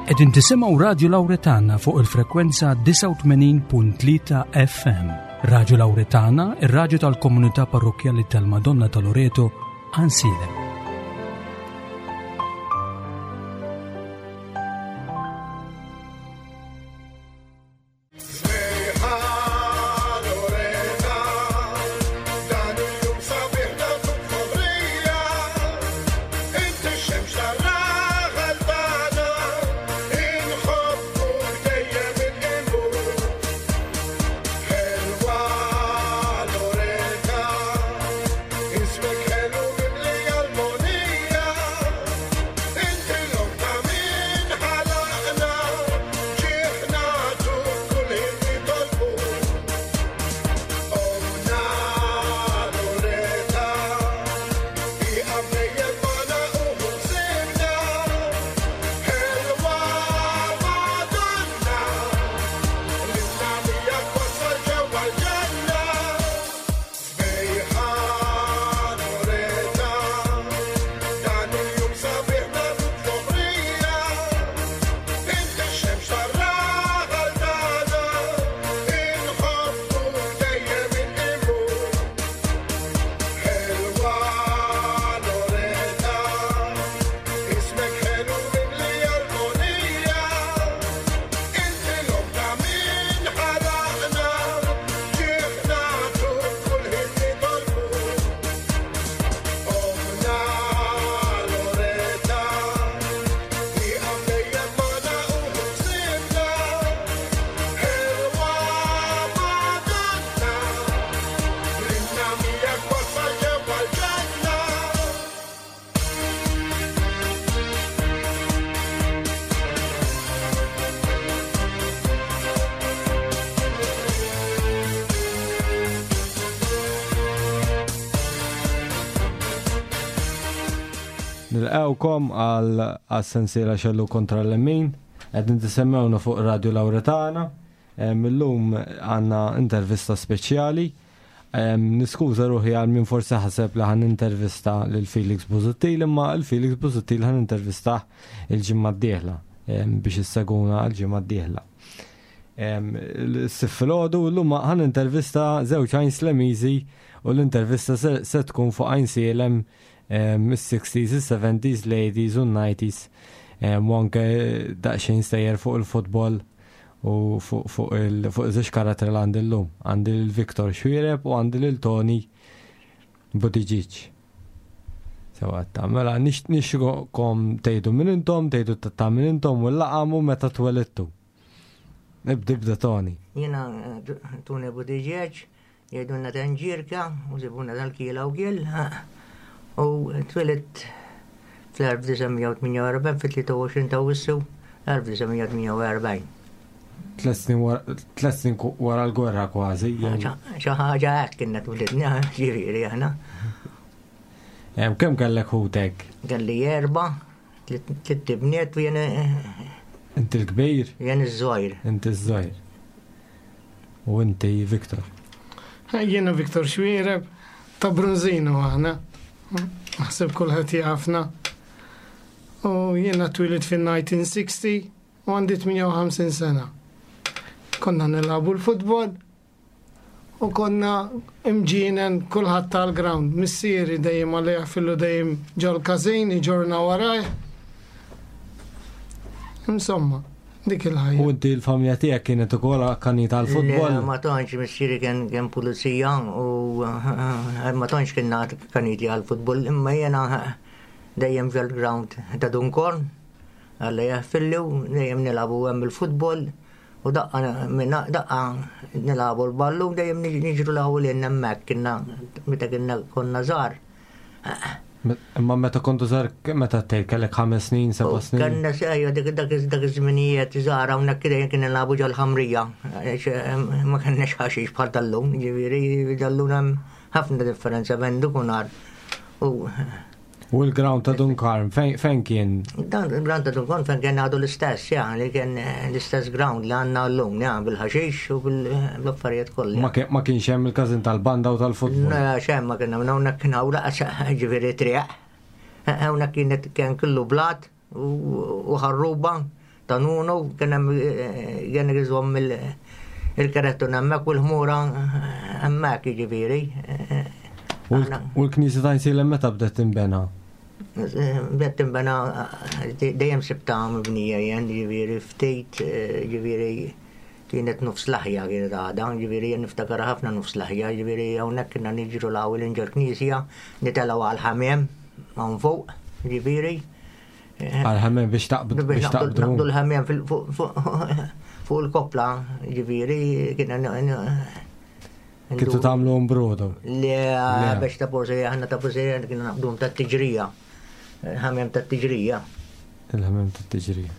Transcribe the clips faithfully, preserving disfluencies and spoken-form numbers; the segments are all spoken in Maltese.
Qegħdin tisimgħu Radio Lauretana fuq il-frekwenza disgħa u tmenin punt tlieta F M. Radio Lauretana, ir-radju tal-komunità parrokkjali tal-Madonna ta' Loreto, Għajnsielem. Nilqgħukom għal sensiela Xellu kontra l-Lemin, qed nitissemmewna fuq Radio Lauretana. Illum għandna intervista speċjali. Niskuża ruħi għal min forsi ħaseb li ħan intervista lil Felix Busuttil, imma l Felix Busuttil ħan intervistah il-ġimgħa d-dieħla, biex isseguna għall-ġimgħa d-dieħla. S-sif filgħodu llum ħan intervista żewġ Għajnslemiżi u l-intervista se, se tkun fuq Għajnsielem is-sixties, is-seventies, l-eighties u n-nineties, u anke daqsxejn stejjer fuq il-futbol u fuq, fuq il-, fuq żewġ karattri li għandi llum. Għandi lil Victor Xuereb u għandi lil Tony Buttigieg. Sewa ta' mela nix-, nixtieqkom tgħidu minn intom, tgħidu ta' minn intom u l-laqam u meta twelidtu. Ibda, ibda Tony. Jiena Tony Buttigieg, jgħidulna Tanġirka u sibuna tal-Kiela u Gill. U twilit fl-elf disa' mija u tmienja u erbgħin, fit-tlieta u għoxrin ta' Awwissu, elf disa' mija u tmienja u erbgħin. Tliet snin wara, tliet snin ku-, wara l-gwerra kważi, jew- Xi, xi ħaġa hekk kienna twilidna, ġifieri aħna. Em, kemm kellek ħutek? Kelli erba', tliet, tliet ibniet u jien, Inti l-kbir? Jien iż-żgħir. Inti iż-żgħir. U inti Victor? Jiena Victor Xuereb, ta' Bronzino aħna. Naħseb kulħadd jafna. U jiena twilit fin-nineteen sixty u għandi tmienja u ħamsin sena. Konna nilagħbu l-futbol u konna imġinen kulħadd tal-ground. Missieri dejjem għalih fillu dejjem ġol-każin, iġorna warajh. Insomma, dik il-ħajja. U inti l-familja tiegħek kienet ukoll akkanita tal-futbol? Le, ma tantx, missieri kien, kien pulizija u, eh, ma tantx kien akkaniti għall-futbol, imma jiena dejjem ġol-ground ta' Dunkorn, għalla jaħfilli u dejjem nilagħbu hemm il-futbol u daqqa minna, daqqa nilagħbu l-ballu dejjem niġ-, niġru l-ewwel lejn hemmhekk kienna meta kienna konna żgħar. Imma meta kontu żgħar, meta tgħid kellek ħames snin, seba' U snin? Kellna se-, ejja, dik, dak iż-, dak iż-żminijiet żgħar hawnhekk kien kien nilagħbu ġol-ħamrija, għax, em, ma kellniex ħaxix bħal tal-lum, ġifieri tal-lum hemm ħafna differenza bejn dik u nhar. U U l-ground ta' Dunkarm, fejn, fejn kien? Dan il-ground ta' Dunkarm fejn kien għadu l-istess, ja, li kien l-istess ground li għandna llum, ja, bil-ħaxix u bil-affarijiet kollha. Ma kien, ma kienx hemm il-każin tal-banda u tal-futbol? Le, xejn ma kien hemm, hawnhekk kien hawn laqas, ġifieri triq. Hawnhekk kienet kien kollu blat u, u ħarruba ta' Nunu, kien hemm kien iżomm il-karettun hemmhekk u l-ħmura hemmhekk jiġifieri. U l-knisja ta' Għajnsielem meta bdet tinbena? Bdet tinbena dejjem sibta mibnija jien, jiġifieri ftit, jiġifieri kienet nofs laħja kienet għadha, jiġifieri jien niftakar ħafna nofs laħja, jiġifieri hawnhekk kienna niġru l-ewwel inġol knisja, nitelgħu għall-ħamiem hawn fuq, jiġifieri. Għal-ħamiem biex taqbdu biex naqbdu l-ħamiem fuq il-koppla, jiġifieri kienna Kintu tagħmlu brodu? Le, biex ta' forsi aħna ta' forsi kienna naqbduhom tat-tiġrija. Ħamiem tat-tiġrija. Il-ħamiem tat-tiġrija.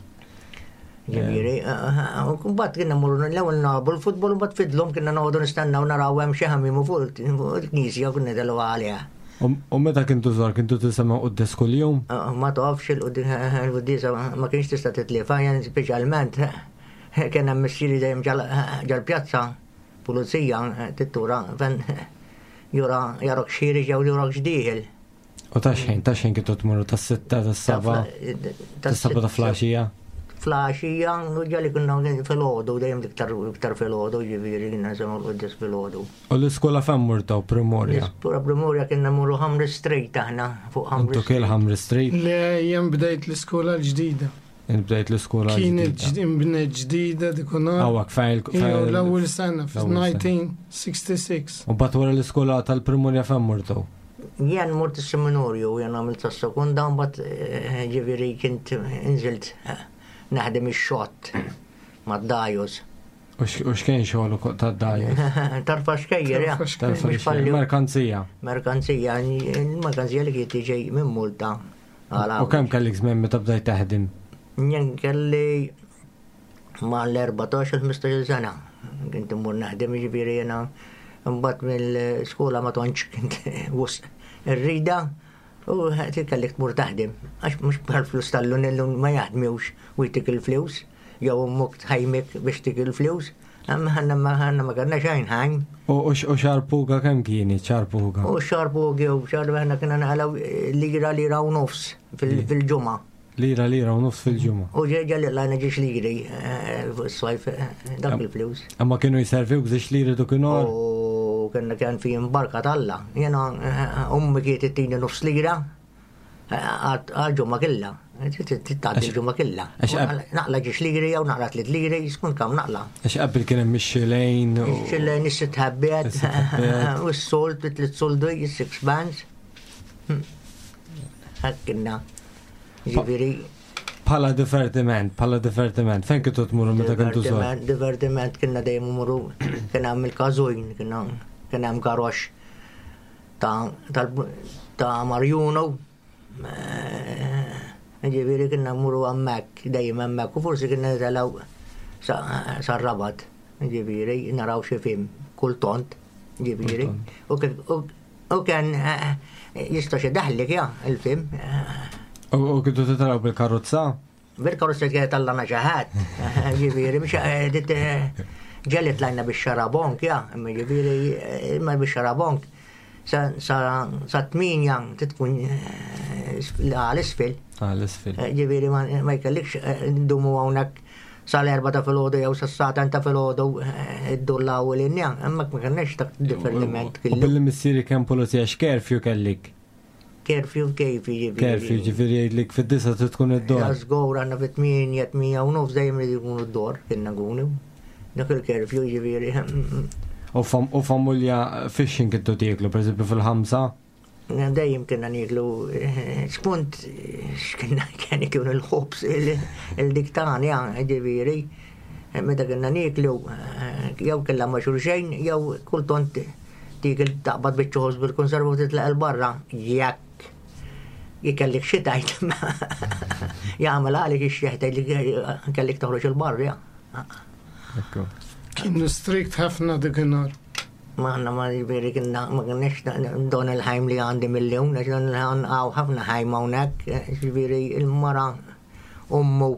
Ġifieri, u mbagħad kienna mmorru l-ewwel nagħbu l-futbol u mbagħad fidlhom kienna noqogħdu nistennew naraw hemm xi ħamiem fuq il-knisja u kienna nitilgħu għaliha. U meta kintu żgħar kintu tisimgħu quddies kuljum? Ma tafx il-quddiesa ma kienx tista' titlifa, jien speċjalment kien hemm missieri dejjem ġal-pjazza, pulizija tittura fejn jura jarok xiri jew jurak x'dieħel. U ta' xejn, ta' xejn kintu tmorru tas-sitta, tas-seba', tas-seba' ta' flaxija? Flaxija, ġali kunna fil-ħodu, dejjem iktar iktar fil-ħodu, ġifieri kienna nisimgħu l-quddies fil-ħodu. U l-iskola fejn murtaw Primorja? L-iskola Primorja kienna mmorru Ħamri Street aħna, fuq Ħamri Intu kiel Ħamri Street? Le, jien bdejt l-iskola l-ġdida. Int bdejt l-iskola Kienet ġdida. Ġdida dikunhar. Awak, fejn il- L-ewwel sena, fil-nineteen sixty-six. U mbagħad wara l-iskola tal-Primorja fejn murtaw? Jien mort is-seminarju, jien għamilt tas-sekonda, mbagħad ġifieri kint inżilt naħdem ix-xott mad-dajus. U x'kien xogħol tad-dajus? Tarfa xkejjer, ja. Tarfa xkejjer. Merkanzija. Merkanzija, il-merkanzija li kienet tiġi minn Malta. U kemm kellek żmien meta bdejt taħdem? Jien kelli mal-erbatax il-ħmistax-il sena. Kint immur naħdem, jiġifieri jiena mbagħad mill-skola ma tantx kint wisq irrida u kellek tmur taħdem. Għax mhux bħal flus tal-lun illum ma jaħdmux u jtik il-flus, jew ommok tħajmek biex tik il-flus. Amma ħanna ma ħanna ma kellna xejn ħajm. U xarpuga kemm kieni xarpuga? U xarpuga jew xarpuga aħna kienna naqalgħu lira lira u nofs fil-ġimgħa. Lira lira u nofs fil-ġimgħa. U ġeġa li lajna ġiex liri fuq is-sajf dak il-flus. Amma kienu jserviwk żiex liri dakinhar? U kienna kien fi imbarka talla. Jiena ummi kienet ittini nofs lira għal-ġumma killa. Tgħaddi l-ġumma killa. Naqla ġiex liri jew naqla tliet liri, skont kemm naqla. Għax qabel kien hemm ix-xilejn u Ix-xilejn, is-sitt ħabbiet, u s-sold, tliet soldi, is-six bands. Hekk kienna. Ġifieri. Bħala divertiment, bħala divertiment, fejn kintu tmurru meta kintu żgħar? Divertiment kienna dejjem immorru, kien hemm il-każojn, kien hemm karox ta' Marjuno. Ġifieri kienna mmorru hemmhekk, dejjem hemmhekk, u forsi kienna nitelgħu sar-Rabat, ġifieri naraw xi film, kultant, ġifieri. U kien jista' xi daħlik ja il-film. U kintu titaraw bil-karozza? Bil-karozza kienet tallana xi ħadd, ġifieri, mhux ġelli tlajna bix-xarabonk, ja, imma ġifieri, imma bix-xarabonk sa tminja titkun għal-isfel. Għal-isfel. Ġifieri ma jkellikx ndumu hawnhekk sal-erba ta' filgħodu jew sas-satan ta' filgħodu iddullaw l-inja, imma ma kellniex dak divertiment U billi missieri kemm pulizija x'kerfju kellik? Kerfju kejfi ġifieri. Kerfju ġifieri jgħidlek fid-disa trid tkun id-dor. Ja żgur għandna fit-tminja, tminja u nofs dejjem irid ikunu d-dor, kienna nkunu. Dak il-kerfju ġifieri. U familja fix-xejn kintu tieklu, pereżempju fil-ħamsa? Dejjem kienna nieklu spunt x'kienna kien ikun il-ħobż il-diktan, ja, ġifieri. Meta kienna nieklu jew kellha ma' xulxejn jew kultant tiekil taqbad biċċa ħobż bil-konserva u titlaq il-barra. Jekk jikellek xi tgħid jagħmel għalik ix-xieħ tgħid kellek toħroġ il-barra, ja. Ekku. Kienu strikt ħafna dik in-nhar. Ma għandna ma ġifieri kienna ma kienx don il-ħajm li għandi mill-lum, għax don il-ħajm hawn ħafna ħajm hawnhekk, ġifieri il-mara ommu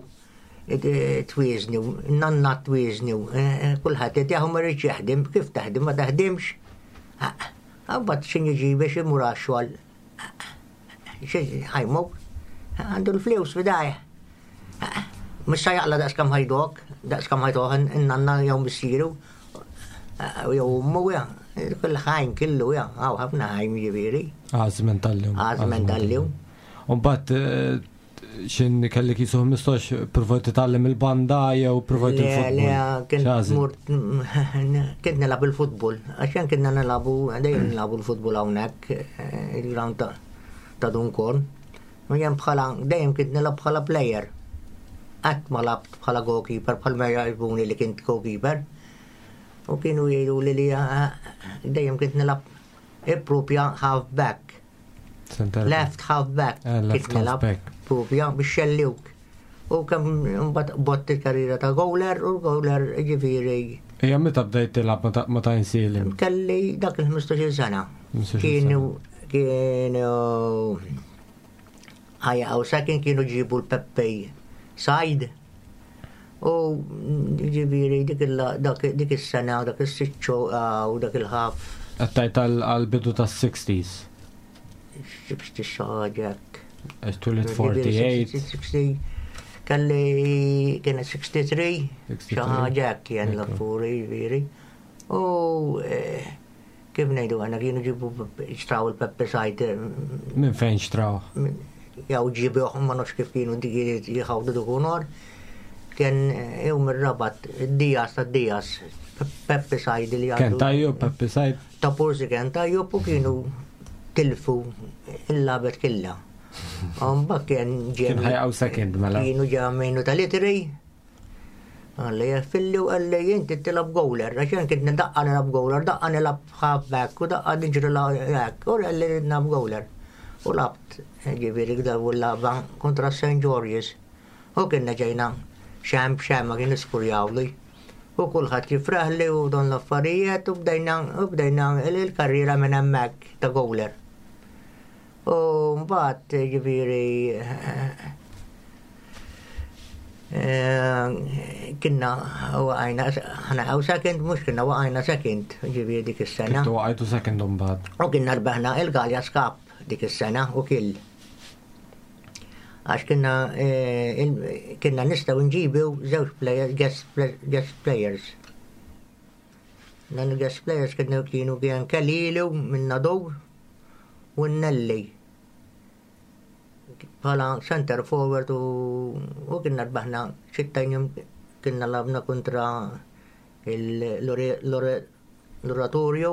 twieżni, nanna twieżni, kulħadd qed jaħu ma rridx jaħdem, kif taħdem ma taħdimx. Imbagħad x'inhi jiġi biex imur għax-xogħol. Xi ħajmu għandu l-flus f'idajh. Mhux sa jaqla' daqs kemm ħajdok, daqs kemm ħajtuh in-nanna jew missieru jew ommu ja. Kull ħajn kellu ja, hawn ħafna ħajn ġifieri. Għażmen tal-lum. Għażmen tal-lum. U mbagħad eh, xin kellek jisu ħmistax provajt titgħallem il-banda jew provajt Le, il-futbol? le, kien X'għażilt? mort, kien nilgħab il-futbol, għaxan kienna nilagħbu, dejjem nilagħbu l-futbol hawnhekk, eh, il-ground ta' ta' Dun Karm. U jien bħala, dejjem kien nilgħab bħala player. Qatt ma lgħabt bħala goalkeeper, bħal ma jgħibuni li kint goalkeeper. U kienu jgħidu li li eh, dejjem kint nilgħab propja half back. Center back. Left half back. Eh, left Kint nilgħab half back. propja biex xelluk. U kemm mbagħad bott il-karriera ta' goaler u goaler ġifieri Ija meta bdejt tilgħab ma ta- ma ta' Għajnsielem? kelli dak il-ħmistax-il sena. ħmistax-il Kienu kienu ħajja għaw sakin kienu ġibu l-Peppe Said. U ġifieri dik il- dak- dik is-sena, dak is-siċċu u dak il-ħaf Għattajt għal-bidu tas-sixties. xibx xaġek. Għax twielidt erbgħa u erbgħin. sittin, kelli kienet tlieta u sittin, tlieta u sittin. xi ħaġa kien Ekku. l-affuri ġifieri. U eh, kif ngħidu għana kienu ġibu xtraw il-Peppe Said Minn fejn xtraw? jew ġibuh, ma nafx kif kienu dik jħawdu dukunor. Kien jew mir-Rabat, Dias ta' Dias, Peppe Said li Kien għandu. tajju, Peppe Said. Ta' porsi kien tajju u kienu tilfu il-labet killa. Mbagħad kien Kien ħajqaw second mela. Kienu ġamejnu tal-itri. Għalli jaffilli u għalli inti tilgħab goaler, għaxan kint daqqa nilgħab goaler, daqqa nilgħab halfback u daqqa niġri la hekk, u għalli nilgħab goaler. U lgħabt, ġifieri għda u lagħba kontra Saint George's. U kienna ġejna xem xem ma kien iskurjawli. U kulħadd jifraħli u don l-affarijiet u bdejna u bdejna il-karriera minn hemmhekk ta' goaler. U mbagħad ġifieri eh, kienna waqajna ħana għaw second, mhux kienna waqajna second, ġifieri dik is-sena. Kintu waqajtu second mbagħad. U kienna rbaħna il-Gallias Cup dik is-sena u kill. Għax kienna eh, il- kienna nistgħu nġibu żewġ players, guest, play- guest players. Dan il-guest players kienu kienu kien Kalilu minn Nadur u Nelli. Bħala center forward u, u kienna rbaħna xittajn jum kienna lgħabna kontra l-Oratorio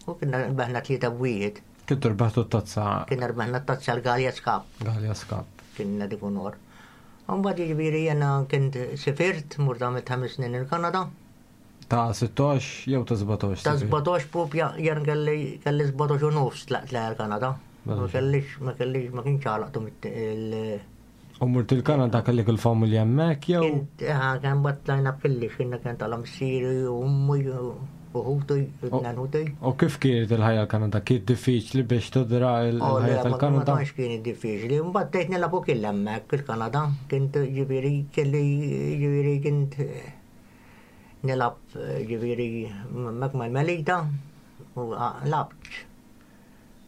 u kienna rbaħna tlieta b'wieħed. Kintu rbaħtu t-tazza. Kienna rbaħna t-tazza l-Gallias Cup, Gallias Cup. Kienna dik unor. Mbagħad jiġifieri jena kint sifirt, mort għamilt ħames snin il-Kanada. Ta' sittax jew ta' sbatax? Ta' sbatax propja, jen kelli kelli sbatax u nofs tlaqt l-Kanada. Ma Sbatax. kellix, ma kellix, ma kienx għalaqtu il- U mort il-Kanada kellek il-familja hemmhekk jew? Kint, eh, kien battlajna kelli, xinna kien tal-missieri u ummi u ħuti, u tnejn ħuti. U kif kienet il-ħajja l-Kanada? Kienet diffiċli biex tidra Oh, le, il-ħajja ma ma tal-Kanada? tantx kien diffiċli. Mbagħad tgħid nilagħbu kill hemmhekk il-Kanada. Kint ġifieri kelli ġifieri kint eh, nilgħab eh, ġifieri hemmhekk mal-Melita u ah, lgħabt.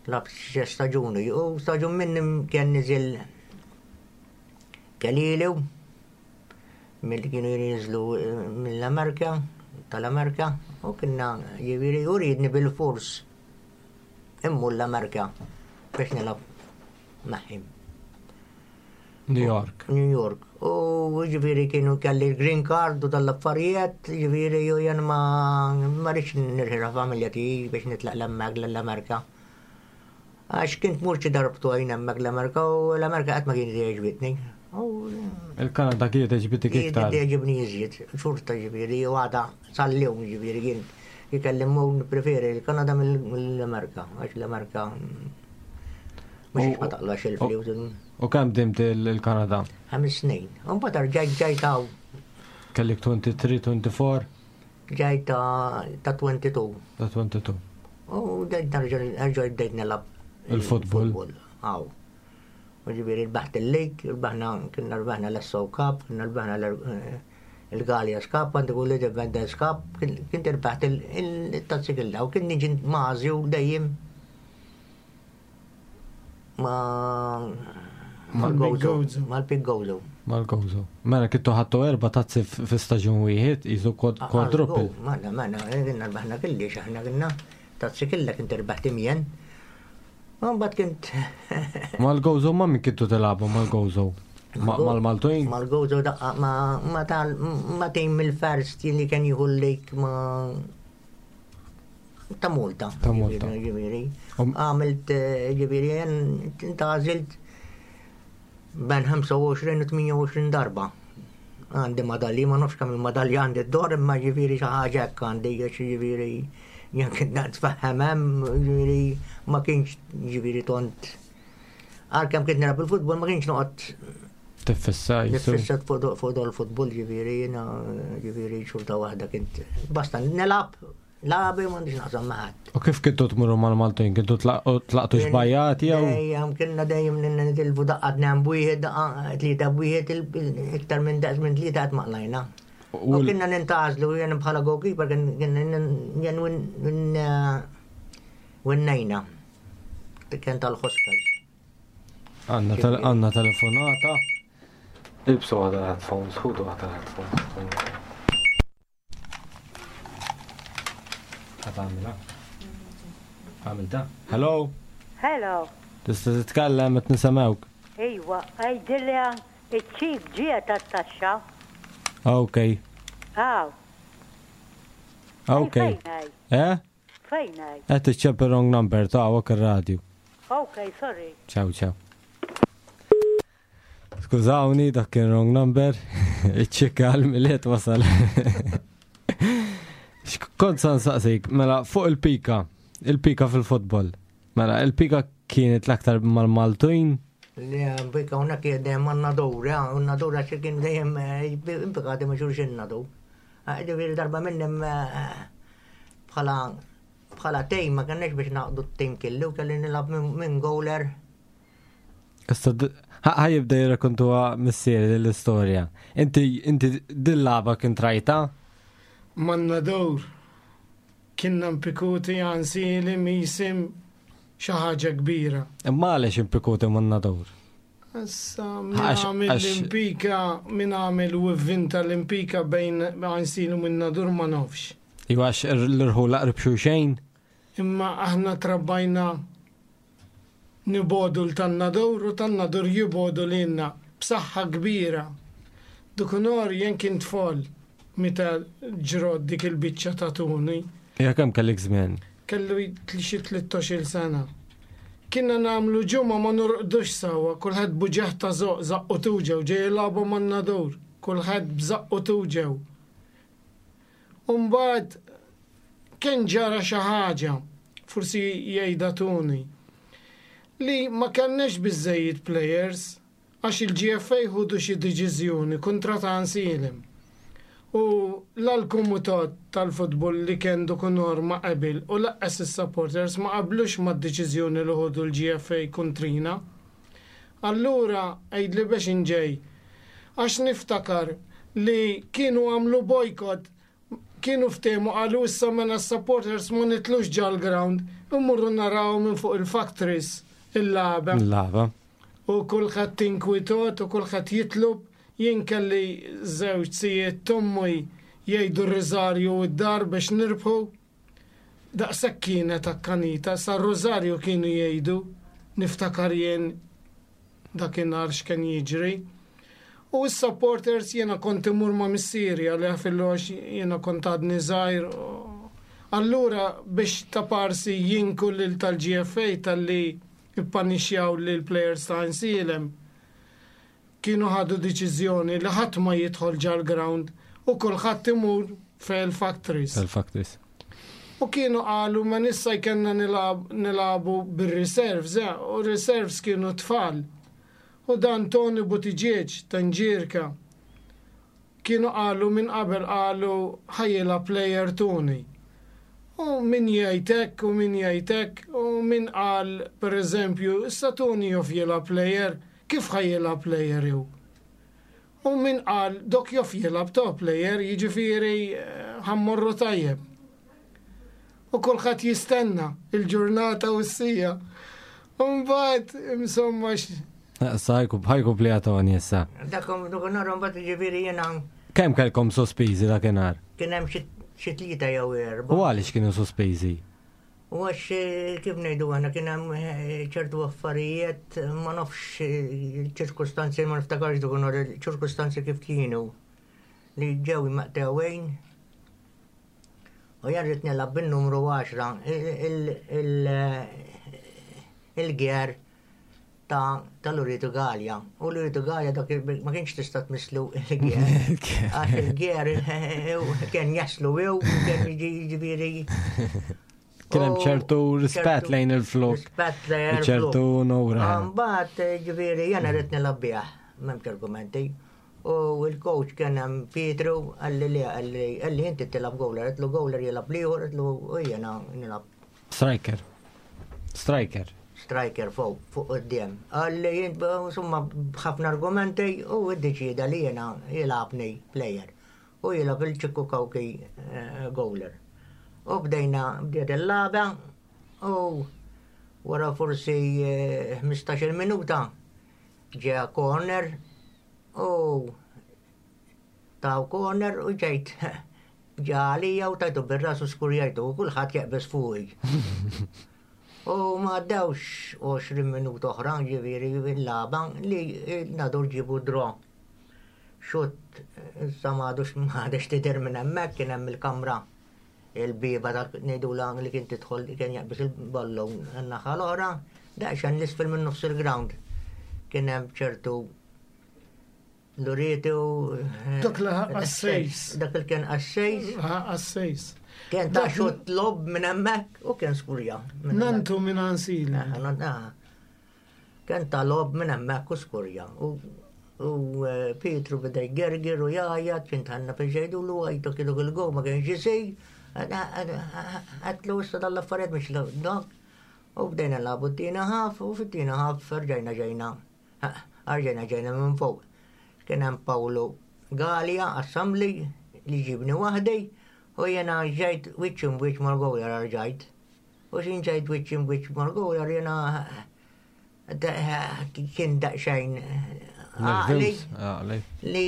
Lgħabt xi staġuni u staġun minnim kien niżel Kalilu mill kienu jinżlu eh, mill-Amerika, tal-Amerika, u kienna ġifieri u riedni bil-fors immur l-Amerika biex nilgħab magħhom. New York. New York. U ġifieri kienu kelli l-green card u tal-affarijiet, ġifieri u jen ma ma rridx nirħira familja tiegħi biex nitlaq l-hemmhekk l-Amerika. Għax kint mur xi darbtu għajn hemmhekk l-Amerika u l-Amerika qatt ma kienet jogħġbitni. U Il-Kanada kienet għoġbitek iktar. Jogħġobni iżjed, xorta ġifieri, u għada sal-lum ġifieri kien jikellimu preferi il-Kanada mill-Amerika, għax l-Amerika mhux ma taqlax il-flus. U kemm dimt il-Kanada? Ħames snin. U mbagħad rġajt ġajt hawn, Kellek tlieta u għoxrin, erbgħa u għoxrin? Ġajt ta' ta' tnejn u għoxrin. Ta' tnejn u għoxrin. U bdejt nerġa' nerġa' bdejt nilgħab Il-futbol. Hawn. U ġifieri rbaħt il-lig, rbaħna kienna rbaħna l-Esso Cup, kienna rbaħna l- il-Gallias Cup, għandi kull Independence Cup, kien irbaħt il-tazzi kollha u kien niġi mażi u dejjem ma Mal-Gozo. Mal-Pik Gozo. Mal-Gozo. Mela kintu ħadtu erba' tazzi fi staġun wieħed, jizu quadruple. Mela, mela, kienna rbaħna kelli, xaħna kienna tazzi kella kint rbaħt imjen. Mbagħad kint. Mal-Gozo ma' min kintu tilagħbu mal-Gozo? Mal-Maltuin? Mal-Gozo daqqa ma tal ma tim mill-first li kien jieħu l-lejk ma' ta' Malta. Ta' Malta. Ġifieri. Għamilt ġifieri intgħażilt bejn ħamsa u għoxrin u tmienja u għoxrin darba. Għandi madalji, ma nafx kemm il-madalja għandi d-dor, imma ġifieri xi ħaġa hekk għandi, għax ġifieri jien kien nitfaħħem hemm, ġifieri ma kienx ġifieri tont. Għalkemm kien nilgħab il-futbol ma kienx noqgħod Tiffissa, jisu. Nifissa fuq dol futbol ġifieri jiena ġifieri xorta waħda kint basta nilgħab lagħbi m'għandix naqsam ma' ħadd. U kif kintu tmurru mal-Maltin? Kintu tlaqtu xbajat jew? Dejjem kienna dejjem nitilfu daqqa tnejn b'wieħed, daqqa tlieta b'wieħed, iktar minn daqs minn tlieta qatt ma qlajna. U kienna nintgħażlu jien bħala goalkeeper kien jien winnejna. Kien tal-Hospitals. Għandna telefonata. Ilbsu għadha headphones, ħudu għadha headphones. Għamilha. Għamilta. Hello? Hello. Tista' titkellem qed nisemgħuk. Ejwa, għidilha iċ-ċik ġie tat-taxxa. Ok. Aw. Ok. Eh? Fejn hi? Qed iċċepp wrong number ta' hawnhekk ir-radju. Ok, sorry. Ciao, ciao. Skużawni, dak kien wrong number. Iċ-ċikka għal-Milied wasal. Kont sa nsaqsik, mela fuq il-pika, il-pika fil-futbol. Mela, il-pika kienet l-aktar mal-Maltuin? Le, pika una kien dejjem man-Nadur, un-Nadur għax kien dejjem impikati ma' xulxin Nadur. Ġifieri darba minnem bħala bħala tejm ma kenniex biex naqdu t-tejm kellu, kelli nilgħab minn goaler. Issa ħa jibda jirrakkontuha missieri l-istorja. Inti inti dil-lagħba kien trajta? Man-Nadur kienna mpikuti għansili misim xi ħaġa kbira. Imma għaliex impikuti man-Nadur? Issa min għamel l-impika, min għamel u vvinta l-impika bejn Għajnsielem u min-Nadur ma nafx. Iwa għax l-irħula qrib xulxejn? Imma aħna trabbajna nibodu l-tan-Nadur u tan-Nadur jibodu lilna b'saħħa kbira. Dukunor jien kien tfal meta ġrod dik il-biċċa ta' Tuni. Ja kemm kellek żmien? Kellu xi tlettax-il sena. Kienna nagħmlu ġimgħa ma norqdux sawa, kulħadd buġeħ ta' żoq, żaqqu tuġew, ġej jilagħbu man-Nadur, kulħadd b'żaqqu tuġew. U mbagħad kien ġara xi ħaġa, forsi jgħidha Tuni, li ma kellniex biżżejjed players għax il-G F A ħudu xi deċiżjoni kontra ta' Għajnsielem. U l-komitat tal-futbol li kien dukunor ma qabil u laqqas is-supporters ma qablux mad-deċiżjoni li ħudu l-G F A kontrina. Allura għidli biex inġej, għax niftakar li kienu għamlu boycott, kienu ftehmu qalu issa mela s-supporters ma nitlux ġal-ground, immurru naraw minn fuq il-factories il-lagħba. Il-lagħba. U kulħadd inkwitot u kulħadd jitlob. Jien kelli żewġ sijiet tommi jgħidu r-riżarju u d-dar biex nirbħu. Daqshekk kienet akkanita, sa r-riżarju kienu jgħidu, niftakar jien dakinhar x'kien jiġri. U s-supporters jiena kont imur ma' missieri għalih fil-għox jiena kont għadni żgħir. Allura biex ta' parsi jinku lil tal-G F A tal-li ippanixxjaw lil players ta' Għajnsielem, kienu ħadu deċiżjoni li ħadd ma jidħol ġal-ground u kulħadd imur fil-factories. Fil-factories. U kienu qalu ma nissa jkellna nilab-, nilagħbu bir-reserves, eh, u reserves kienu tfal. U dan Tony Buttigieg Tanġirka kienu qalu minn qabel qalu ħajjela player Tony. U min jgħid hekk u min jgħid hekk u min qal pereżempju issa Tony jof jilgħab player, kif ħajjela player ju? U min qal dok jof jilgħab to player, jiġifieri, eh, ħammorru tajjeb. U kulħadd jistenna il-ġurnata u s-sija. U mbagħad insomma x-, Issa ħajku plijatoni issa. Dakom dakinhar mbagħad ġifieri jiena Kemm kellkom sospiżi dakinhar? Kien hemm xi tlieta jew erba'. U għaliex kienu sospiżi? U għax eh, kif ngħidu aħna kien hemm eh, ċertu affarijiet ma nafx eh, ċirkustanzi ma niftakarx dakinhar ċirkustanzi kif kienu li ġew maqtewejn u jien rrid nilgħab bin-numru għaxra il-gear ta' tal-Uritu Gallia. U l-Uritu Gallia dak ma kienx tista' tmisslu il-gear. Għax il-gear kien jaslu jew kien jiġifieri. Kien hemm ċertu rispett lejn il-flok. Rispett lejn il-flok. Ċertu onura. Mbagħad ġifieri jiena rrid nilgħab bih, m'hemmx argumenti. U il-coach kien hemm Pietru qalli li qalli qalli inti tilgħab goaler, għedtlu goaler jilgħab l-ieħor, għedtlu u jiena nilgħab Striker. Striker. Striker fuq fuq quddiem. Qalli jien insomma b'ħafna argumenti u iddeċieda li jiena jilgħabni player. U jilgħab il-Ċikku Kawki eh, goaler. U bdejna bdiet il-lagħba u wara forsi eh, ħmistax-il minuta ġeja corner u taw corner u ġejt ġalija u tajtu bir-ras u skurjajtu u kulħadd jaqbeż fuqi. U ma għaddewx għoxrin minuta oħra ġifieri il-lagħba li Nadur ġibu draw. Xutt, issa ma għadux ma għadux tidher minn hemmhekk, kien hemm il-kamra il-bieba dak ngħidula li kien tidħol kien jaqbeż il-ballun n-naħa l-oħra, daqsxejn l-isfel minn nofs il-ground. Kien hemm ċertu Luritu. Dak li għassejs. Dak li kien għassejs. Għassejs. Kien ta' xut lob minn hemmhekk u kien skurja. Nantu minn Ansili. Kien ta' lob minn hemmhekk u skurja. U eh, Pietru beda jgergir u jgħajjat, kien tħanna fi ġejdu l għajtu kienu il-go ma kienx isir. Għedtlu issa dal-affarijiet mhux dak. U bdejna nilagħbu t-tieni half u fit-tieni half rġajna ġejna. Rġajna ġejna minn fuq. Kien hemm Paolo Gallia Assembly li ġibni waħdi u jena ġejt wiċċ imb'wiċċ mal-goaler rġajt. U xin ġejt wiċċ imb'wiċċ mal-goaler jena kien daqsxejn għaqli li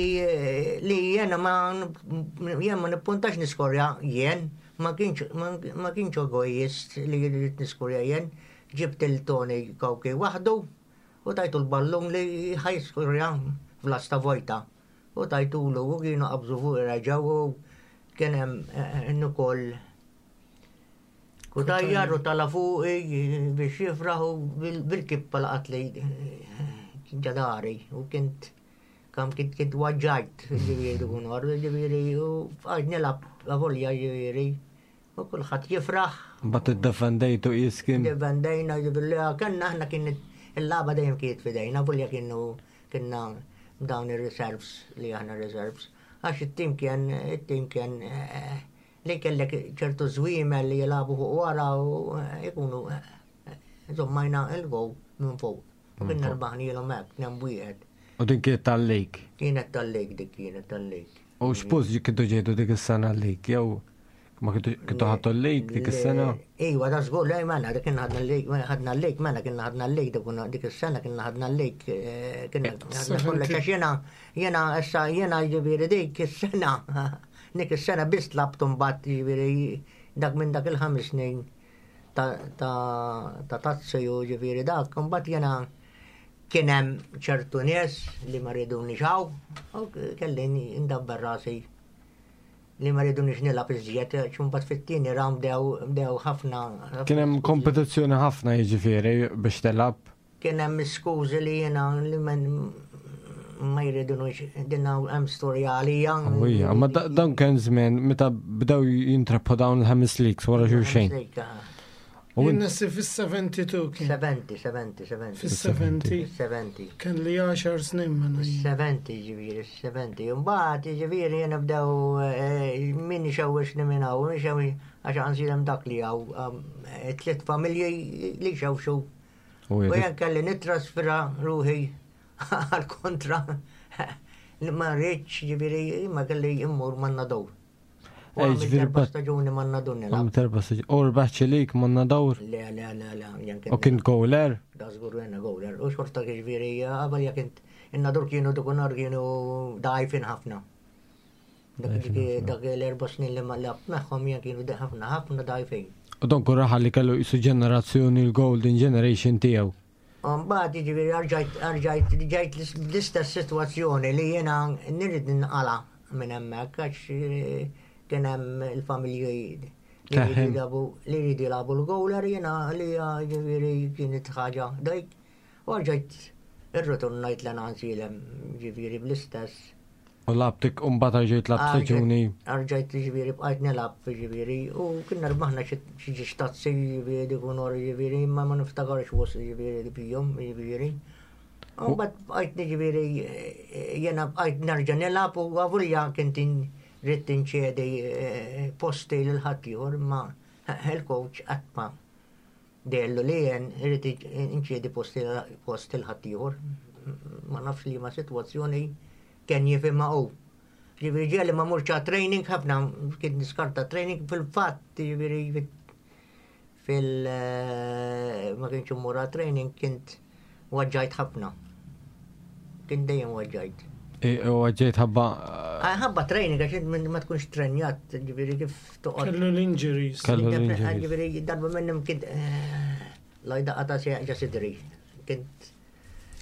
li jena ma jena ma nippuntax niskorja jien, ma kienx ma kienx egoist li rrid niskorja jien, ġibt il-Tony Kawki waħdu u tajtu l-ballun li ħajskorja fl-asta vojta. U tajtulu u kienu qabżu fuq reġgħu u kien hemm ukoll Kutajjar u tala fuqi biex jifraħ u bil-kippa laqat li ġadari u kint kam kint kint waġġajt ġifieri dik ġifieri u għad nilgħab avolja ġifieri u kulħadd jifraħ. Mbagħad iddefendejtu jiskin. Defendejna ġifieri kellna aħna kien il-lagħba dejjem kienet fidejna avolja kienu kienna dawn ir-reserves li aħna reserves. Għax it-tim kien it-tim kien li kellek ċertu żwiemel li jilagħbu fuq wara u jkunu żommajna il-gow minn fuq. U kien rbaħnielhom hekk, nem wieħed. U din kienet tal-league? Kienet tal-league dik, kienet tal-league. U x'post kintu ġejtu dik is-sena l-league jew ma kintu ħadtu l-league dik is-sena? Iva, da żgur, le mela, dik kien ħadna l-league, ħadna l-league, mela kien ħadna l-league dik is-sena kien ħadna l-league, kien ħadna kollox għax jiena jiena issa jiena ġifieri dik is-sena dik is-sena biss tlabtu mbagħad ġifieri dak minn dak il-ħames snin ta' tazzi u ġifieri dak, mbagħad jiena kien hemm ċertu nies li ma rridunix hawn u kelli ndabbar rasi li ma rridunix nilgħab iżjed, għax mbagħad fit-tieni round bdew ħafna. Kien hemm kompetizzjoni ħafna jiġifieri biex tilgħab. Kien hemm skużi li jiena li ma jridunix din hemm storja għalija. Ija, ma dan kien żmien meta bdew jintrabħu dawn il-ħames leagues wara xulxin. Jien nassi fis-seventy-two kien. Seventy, seventy, seventy. Fis-seventy. Seventy. Kien li għaxar snin minn jien. Seventy, ġifieri, seventy. Mbagħad ġifieri jiena bdew min ixewwixni minn hawn, min ixewwix għax għansilem dak li hawn tliet familji li xewxu. U jien kelli nittrasfera ruħi għal kontra li ma rridx ġifieri ma kelli immur ma' Nadur. U għamilt ġifieri erba' bat- staġuni man-Nadur nilgħab. Għamilt erba' staġuni. U rbaħt xi lig man-Nadur? Le, le, le, le, jien U kien goaler? Da żgur jiena goaler. U xorta ġifieri, qabel jekk int in-Nadur kienu dakinhar kienu dgħajfin ħafna. Dak Dgħajfin dak l-erba' snin li ma lgħabt magħhom jien kienu ħafna ħafna dgħajfin. U donku raħal li kellu jisu ġenerazzjoni l-golden generation tiegħu. Mbagħad jiġifieri rġajt rġajt ġajt l-istess sitwazzjoni li jiena nirrid ninqala minn hemmhekk għax eh, kien hemm il-familji li jridu Taħem. jilagħbu li jridu jilagħbu l-goaler jiena li jiġifieri kienet ħaġa dajk u rġajt irritornajt lejn Għajnsielem ġifieri bl-istess. U lgħabtek u mbagħad ġejt lgħabt staġuni. Rġajt ġifieri bqajt nilgħab ġifieri u kienna rbaħna xi xi tazzi ġifieri dik ġifieri imma ma niftakarx was ġifieri fihom ġifieri. U mbagħad bqajt ġifieri jiena bqajt nerġa' nilgħab u għavulja kint ridt inċedi eh, posti lil ħaddieħor imma il-coach qatt ma dellu li jien irrid inċedi posti post lil ħaddieħor. Ma nafx li ma sitwazzjoni kien jifhimha hu. Ġifieri ġieli ma mmurx training ħafna kien niskarta training fil-fatt ġifieri fil eh, ma kienx immur training kint weġġajt ħafna. Kien dejjem weġġajt. U ġejt ħabba. Ah, ħabba training għax int ma tkunx trenjat, ġifieri kif toqgħod. Kellu l-injuries. Kellu l-injuries. Ġifieri darba minnhom kint eh, lajda qata ġa sidri. Kint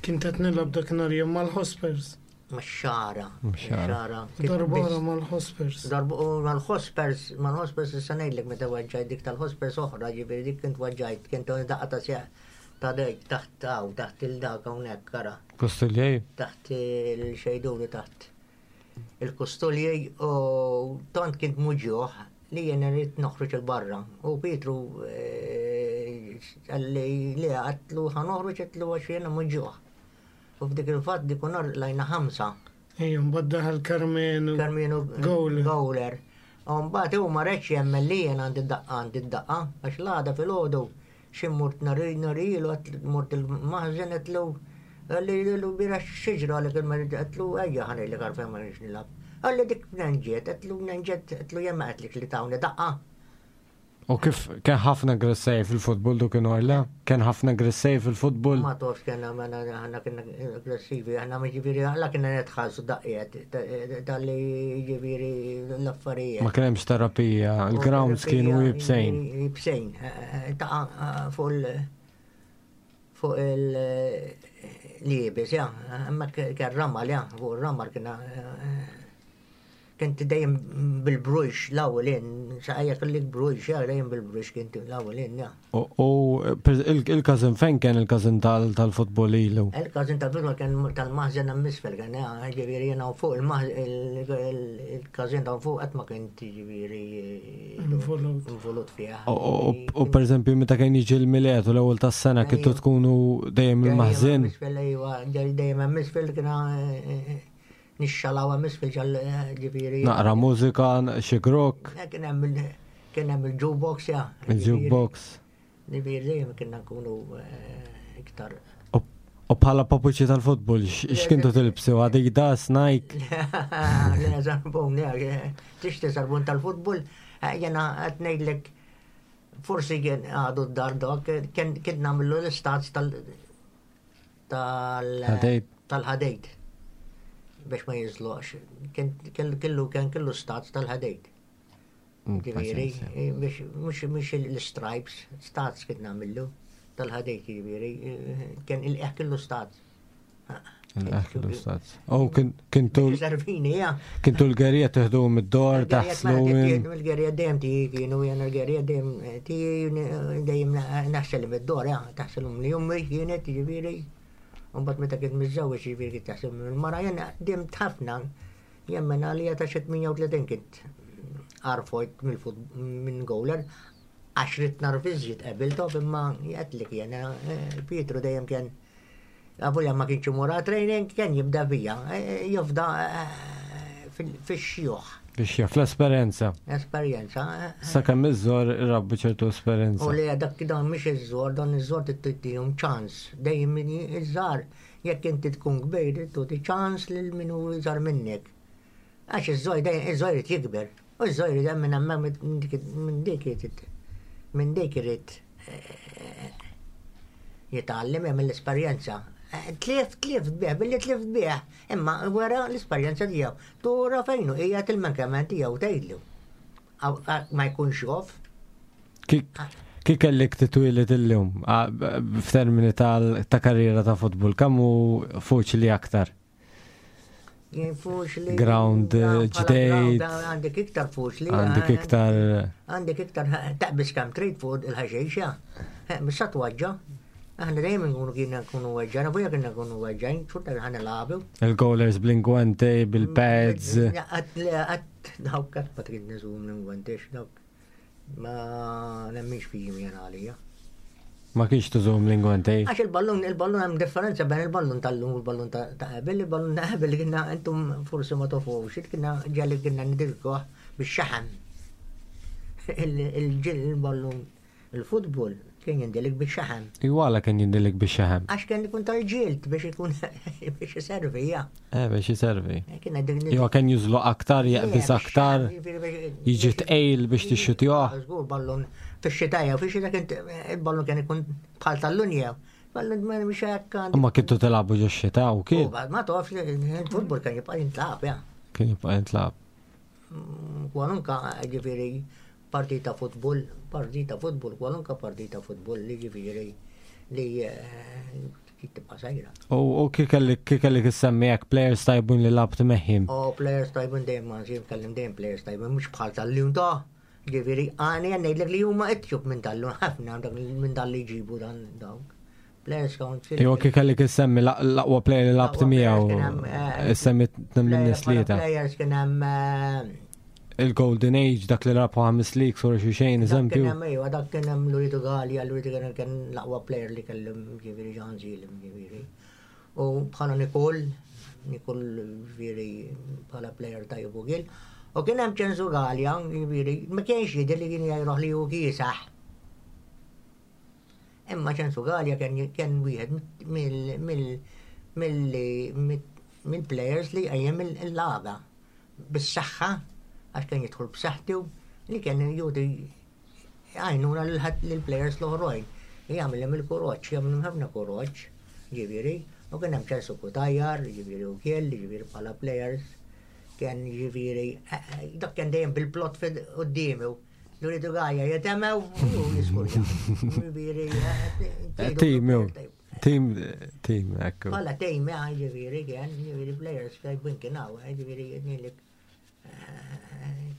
Kien qed nilgħab dakinhar jien mal-Hospers. max-Xagħra. Max-Xagħra. Darba oħra mal-Hospers. Darba u mal-Hospers, mal-Hospers issa ngħidlek meta weġġajt dik tal-Hospers oħra, ġifieri dik kint weġġajt, kint daqqa ta' sieq ta' dejk taħt hawn, taħt il-dak hawnhekk kara, Kustuljej. taħt il-xejdulu taħt il-kustuljej u tant kint muġjuħ li jena rrid noħroġ il-barra. U Pietru eh, qalli li għedtlu ħa noħroġ għedtlu għax jena muġjuħ. U f'dik il-fatt dik nhar lgħabna ħamsa. Ejju, mbagħad daħal Karmenu. Karmenu Goaler. Goaler. U mbagħad hu ma riedx jemmen li jien għandi daqqa għandi daqqa għax l-għada filgħodu xi mort nurihielu mort il-maħżen għedtlu qalli l-bieraħ x'ġara li kien għedtlu ejja ħa ngħidlek għalfejn ma rridx nilgħab. Qalli dik mnejn ġiet, għedtlu mnejn ġiet, għedtlu jien ma għedtlek li tawni daqqa. U kif kien ħafna aggressiv fil-futbol dak in-nhar? Kien ħafna aggressiv fil-futbol? Ma tafx kena aħna kienna aggressivi, aħna ma ġifieri, għalla kienna nitħallsu daqqiet, tal-li ġifieri l-affarijiet. Ma kien hemmx terapija, il-grounds kienu iebsin. Iebsin, ta' fuq il- fuq il-iebes, ja, imma kien ramal, ja, fuq il-ramal kienna kent dejjem bil-brux l-ewwel jien, saqajja kellik brux, ja, dejjem bil-brux kint l-ewwel jien, ja. U il-każin fejn kien il-każin tal-futbol ilu? Il-każin tal-futbol kien tal-maħżen hemm isfel, kien ja, ġifieri jiena fuq il-każin ta' fuq qatt ma kien ġifieri Involut. involut fiha. U per eżempju meta kien jiġi l-Milied u l-ewwel tas-sena kintu tkunu dejjem il-maħżen? Isfel, ejwa, dejjem hemm isfel kiena nixxalaw hemm isfel ġal ġifieri. Naqra mużika, xi grok, Kien hemm il- kien hemm il-jukebox, ja. il-jukebox. Ġifieri dejjem kienna nkunu eh, iktar. U u bħala papuċi tal-futbol, x'kintu tilbsu? Adidas, Nike? Le, żarbun, tixtri żarbun tal-futbol, jena qed ngħidlek forsi kien għadu d-dar dak, kien kien nagħmlu l-istuds tal tal Ħadejt. tal-ħadejt biex ma jiżloqx. Kien kellu kien kellu studs tal-ħadejt. Ġifieri, biex mhux mhux l-stripes, studs kien nagħmlu tal-ħadejt ġifieri, kien il-qeħ kellu studs. L-studs. U kintu Servini, ja. kintu l-gerija teħdu mid-dor, taħslu minn. Il-gerija dejjem tiegħi kienu jena l-gerija dejjem tiegħi dejjem naħsel mid-dor, ja, taħselhom li jummi kienet ġifieri. Mbagħad meta kien miżżewweġ ġifieri kien taħsel mill-mara jena dejjem ħafna jemmen għalija ta' xi tmienja u tletin kint arfojt minn goaler għax ridt narfiżġiet qabiltom imma jgħidlek jena Pietru dejjem kien Avolja ma kienx imur training kien jibda bija, jifda fix-xjuħ. Biex jaf l-esperjenza. Esperjenza. Sakemm iż-żor irabbu ċertu esperjenza. U li dak dan mhix iż-żor, dan iż-żor tittihom ċans. Dejjem min iż-żar, jekk inti tkun kbir, tuti ċans lil min hu iżgħar minnek. Għax iż-żor dejjem iż-żor irid jikber. U ż-żojri dan minn hemmhekk minn dik minn dik irid eh, jitgħallem jagħmel l-esperjenza. Eh, Tlift, tlift bih, billi tlift bih, imma wara l-esperjenza tiegħu. Tura fejnu hija il-mankament tiegħu tgħidlu. Ma jkunx jof. Kif kellek titwieled illum f'termini ta' karriera ta' futbol, kemm hu faċli aktar? Jien faċli. Ground ġdejt. Għandek iktar faċli. Għandek iktar. Għandek iktar taqbis kemm trid fuq il-ħaxejxa. Bissa twaġġa. Aħna dejjem nkunu kiena nkunu weġġajn, avuja kiena nkunu weġġajn, xorta ħa nilagħbu. Il-goalers bl-ingwante, bil-pads. Għat dawk qatt ma trid niżum l-ingwante, dawk ma nemminx fihom jena għalija. Ma kienx tużum l-ingwante? Għax il-ballun, il-ballun hemm differenza bejn il-ballun tal-lum u l-ballun ta' qabel, il-ballun ta' qabel kienna intom forsi ma tofux, kienna ġalli kienna nidirkoh bix-xaħam. Il-ġil il-ballun il-futbol kien jindilik bix-xaħam. Iwala kien jindilik bix-xaħam. Għax kien ikun tal-ġild biex ikun biex iservi, ja. Eh, biex iservi. Jo kien jużlu aktar, jaqbis aktar, jiġi tqejl biex tixxutjoh. Żgur ballun fix-xita jew fix-xita kien il-ballun kien ikun bħal tal-lunja. Ballun ma mhux hekk. Ma kintu tilagħbu ġo x-xita u kien. Ma tafx il-futbol kien jibqa' jintlagħab, ja. Kien jibqa' jintlagħab. Kwalunka ġifieri partita futbol, partita futbol, kwalunka partita futbol li ġifieri li tibqa' sajra. U kif kellek issemmi hekk players tajbun li labt meħim? O players tajbun dejjem ma nsib kellim dejjem players tajbun mhux bħal tal-lum ta' ġifieri għani ngħidlek li huma ittjub minn tal-lum ħafna minn tal-li jġibu dan dawk. Players council. Iwa kif kellek issemmi l-aqwa player li labt miegħu. Issemmi tnejn minn nies tlieta. Players kien hemm Il-Golden Age, dak li rabħu ħames leagues wara xi xejn, eżempju. Kien hemm ejwa, dak kien hemm Luritu Galea, Luritu kien kien l-aqwa player li kellhom ġifieri Ġan Zilem ġifieri. U bħala Nikol, Nikol ġifieri bħala player tajjeb ukoll. U kien hemm Ċensu Galea, ġifieri, ma kienx jidher li kien jgħiruh li hu kiesaħ. Imma Ċensu Galea kien kien wieħed mill-players li qajjem il-lagħba bis-saħħa għax kien jidħol b'saħħtu li kien judi għajnuna lill-players l-oħrajn. Jagħmilhom il-kuraġġ, jagħmilhom ħafna kuraġġ, ġifieri, u kien hemm Ċensu Cutajar, ġifieri u kiel, ġifieri bħala players, kien ġifieri, dak kien dejjem bil-plot quddiemu. Luritu Galea jitemew u jiskurja. Ġifieri, Team, team, team, ekku. Bħala team, ġifieri, kien, ġifieri players tajbin kien hawn, ġifieri, jgħidnilek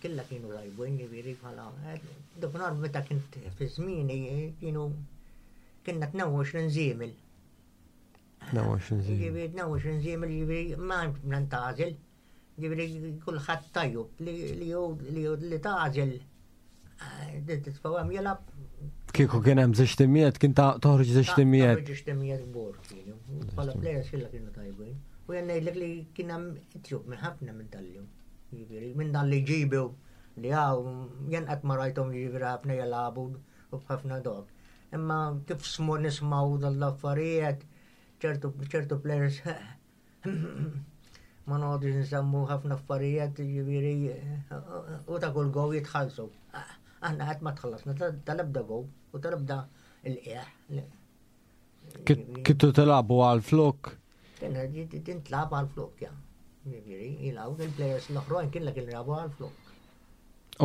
killa kienu tajbin, ġifieri bħala. Dak meta kint fi żmieni kienu kienna tnejn u għoxrin żiemel. tnejn u għoxrin żiemel. Ġifieri tnejn u għoxrin żiemel, ġifieri ma nantgħażel. Ġifieri kulħadd tajjeb li li li li tagħżel titfgħu hemm jilgħab. Kieku kien hemm żewġ timijiet, kien toħroġ żewġ timijiet. Toħroġ żewġ timijiet kbar kienu. Bħala players kollha kienu tajbin. U jien ngħidlek li kien hemm itjub minn ħafna minn tal-lum. Ġifieri minn dan li ġibu li hawn jien qatt ma rajthom ġifieri ħafna jilagħbu u b'ħafna dog. Imma kif smu nismgħu dal-affarijiet ċertu ċertu players ma noqgħodux nsemmu ħafna affarijiet ġifieri u ta' kull gow jitħallsu. Aħna qatt ma tħallasna tal-ebda gow u tal-ebda il-qiegħ. Kintu tilagħbu għal flok? Kien tintlagħab għal flok, ja. Ġifieri, jilagħbu il-players l-oħrajn kien kien jilagħbu għal flok.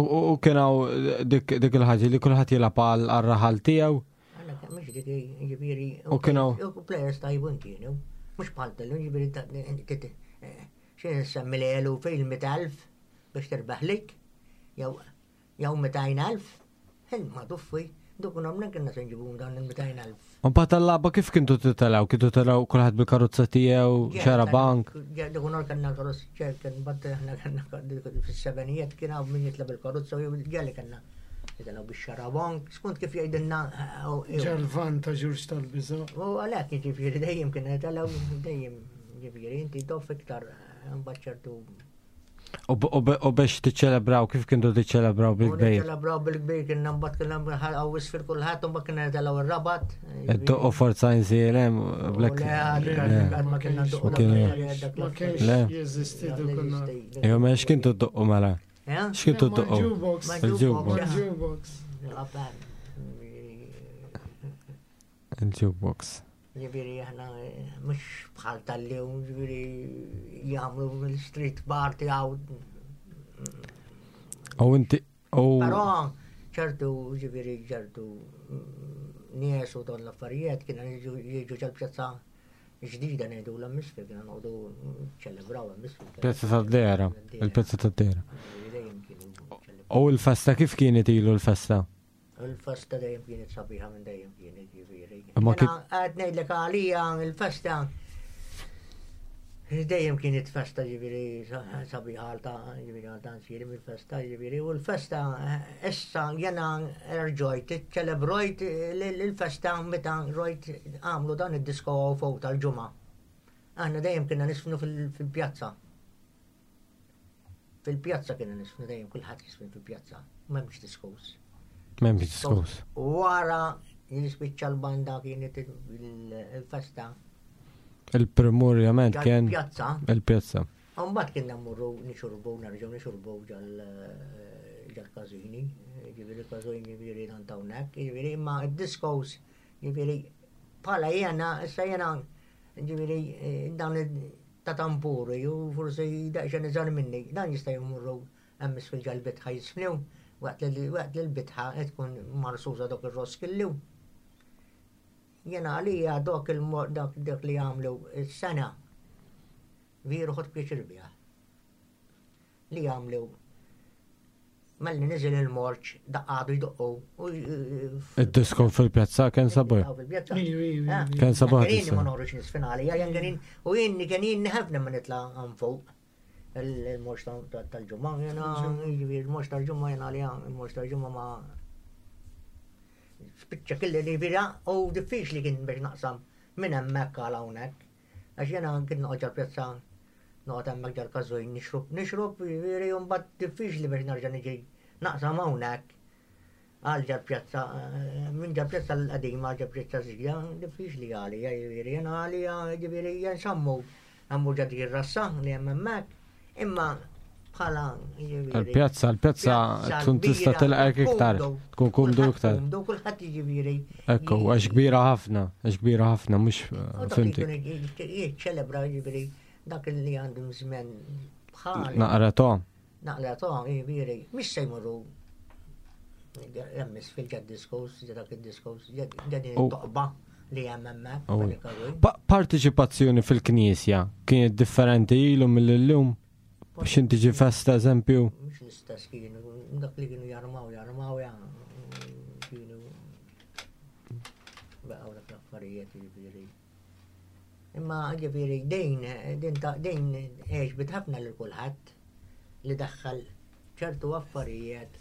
U kien hawn dik il-ħaġa li kulħadd jilgħab għal raħal tiegħu? Għandna mhux dik ġifieri. U kien hawn. U players tajbun kienu. Mhux bħal tal-lum ġifieri xi nsemmi l-elu fejn mitt elf biex terbaħ lik, jew jew mitejn elf, ma tuffi, duk nomna kienna se nġibu dan il-mitejn elf. U mbagħad tal-lagħba kif kintu titilgħu? Kintu titilgħu kulħadd bil-karozza tiegħu, xarabank? Dik nhar kellna karozza, kien mbagħad aħna kellna fis-sebenijiet kien hawn min jitla' bil-karozza u ġeli kellna jitilgħu bix-xarabank, skont kif jgħidilna. Ġalvan ta' Ġurġ tal-Biża. U għalhekk jiġifieri dejjem kien jitilgħu dejjem jiġifieri inti toff iktar mbagħad ċertu. U biex tiċċelebraw, kif kientu tiċċelebraw bil-kbir? Tiċċelebraw bil-kbir, kienna mbagħad kienna għaw isfir kulħadd, u mbagħad kienna nitilgħu ir-Rabat. Iddoqqu Forza Insielem, blek. Le, ma kienna ndoqqu Ma kienx jeżisti dak Ejwa, ma x'kintu ddoqqu mela? Eh? X'kintu ddoqqu? Jukebox. Il-jukebox. Jukebox. Il-jukebox. Ġifieri aħna mhux bħal tal-lum, ġifieri jagħmlu mill-street party għaw. U inti u Però ċertu ġifieri ċertu nies u dawn l-affarijiet kienu jiġu ġal-pjazza ġdida ngħidu l-misfil, kienu noqogħdu ċelebraw misfil. Pjazza tad-Dehra, il-Pjazza tad-Dehra. Dejjem kienu ċelebraw. U l-festa kif kienet ilu l-festa? Il-festa dejjem kienet sabiħa minn dejjem kienet ġifieri. Imma kif- Jiena qed ngħidlek għalija il-festa dejjem kienet festa ġifieri sabiħa għal ta' ġifieri għal ta' nsiri mill-festa ġifieri u l-festa issa jena rġojt ċelebrojt l-festa meta rojt għamlu dan id-disko fuq tal-ġimgħa. Aħna dejjem kienna nisfnu fil-pjazza. Fil-pjazza kienna nisfnu dejjem kulħadd jisfnu fil-pjazza. M'hemmx diskos. M'hemmx diskos. Wara jispiċċa l-banda kienet il-festa. Il-primurjament kien Pjazza. il-pjazza. Mbagħad kienna mmorru nixorbu, nerġgħu nixorbu ġal-każini, ġifieri każini ġifieri dan hawnhekk, ġifieri imma d-diskos ġifieri bħala jena, issa jena ġifieri dan ta' tampuri u forsi daqsxejn iżgħar minni, dan jista' jmorru hemm isfel ġal-bitħa jisfnew, waqt li l-bitħa tkun marsuża dok ir-roskillu. Jena għalija dok il-dak dak li għamlu s-sena veru ħadt pjaċir biha. Li għamlu malli niżel il-morċ, daqqadu jdoqqu. Id-disko fil-pjazza kien sabiħ. Kien sabiħ. Kien ma noħroġ nisfin għalija, jen kien u jien kien jien ħafna ma nitla' għan fuq il-morċ tal-ġumma, jena il-morċ tal-ġumma jena għalija, il-morċ tal-ġumma ma spiċċa kelli li bira u diffiċli kien biex naqsam minn hemmhekk għal hawnhekk. Għax jena kien noqgħod ġal-pjazza noqgħod hemmhekk ġal-każwin nixrob, nixrob, jiġifieri mbagħad diffiċli biex nerġa' niġi naqsam hawnhekk għal ġal-pjazza, minn ġal-pjazza l-qadima għal ġal-pjazza ġdida, diffiċli għalija, jiġifieri jena għalija, jiġifieri jensammu għammu ġad rassa li hemm hemmhekk, imma bħala Il-pjazza, il-pjazza tkun tista' tilqek iktar, tkun kumdu iktar. Kumdu kulħadd jiġifieri. Ekku, għax kbira ħafna, għax kbira ħafna, mhux fimtik. Jiċċelebra jiġifieri dak li għandhom żmien bħal. Naqra to. Naqra to, jiġifieri, mhix se jmorru hemmis fil-ġad diskos, dak id-diskos, ġad toqba li hemm hemmhekk. Partiċipazzjoni fil-knisja kienet differenti ilu mill-lum? Biex inti ġi festa, eżempju? Mhux l-istess kienu, dak li kienu jarmaw, jarmaw, kienu baqgħu dak l-affarijiet jiġifieri. Imma jiġifieri dejn, din ta' dejn għeġbet ħafna lil kulħadd li daħħal ċertu affarijiet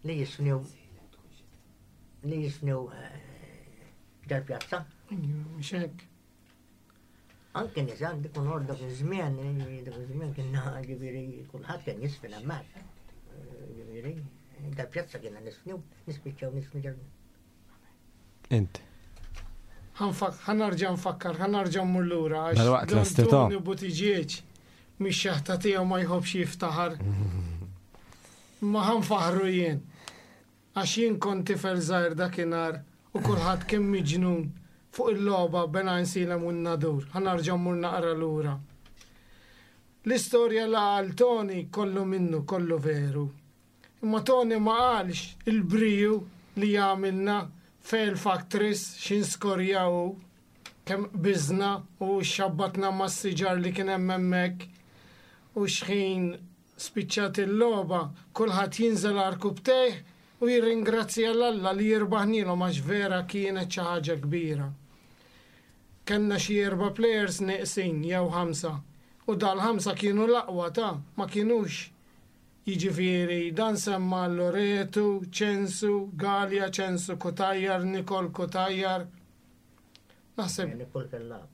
li jisfnew li jisfnew ġal-pjazza. Mhux hekk. Anke nisa, dik unor dak iż-żmien, dak iż-żmien kienna ġifieri kulħadd kien jisfin hemmhekk. Ġifieri, dal-pjazza kienna nisfnu, nispiċċaw nisfnu ġal. Int. Ħa nerġa' nfakkar, ħa nerġa' mmur lura għax Dal-waqt l-estito. Tony Buttigieg mix-xeħta tiegħu ma jħobbx jiftaħar. Ma ħa nfaħħru jien. Għax jien kont tifel żgħir dakinhar u kulħadd kien miġnun fuq il-logħba bejn Għajnsielem u n-Nadur. Ħa nerġa' mmur naqra lura. L-istorja la għal Tony kollu minnu, kollu veru. Imma Tony ma qalx il-briju li għamilna fejl factories xin skorjaw kemm bizna u xabbatna ma' siġar li kien hemm hemmhekk u xħin spiċċat il-logħba kulħadd jinżel għarkupptejh u jirringrazzja l-Alla li jirbaħnilhom għax vera kienet xi ħaġa kbira. Kellna xi erba' players neqsin jew ħamsa u dal-ħamsa kienu l-aqwa ta' ma kienux jiġifieri dan semma Loreto, Ċensu, Gallia, Ċensu Cutajar, Nikol Cutajar. Naħseb Nikol Kellab.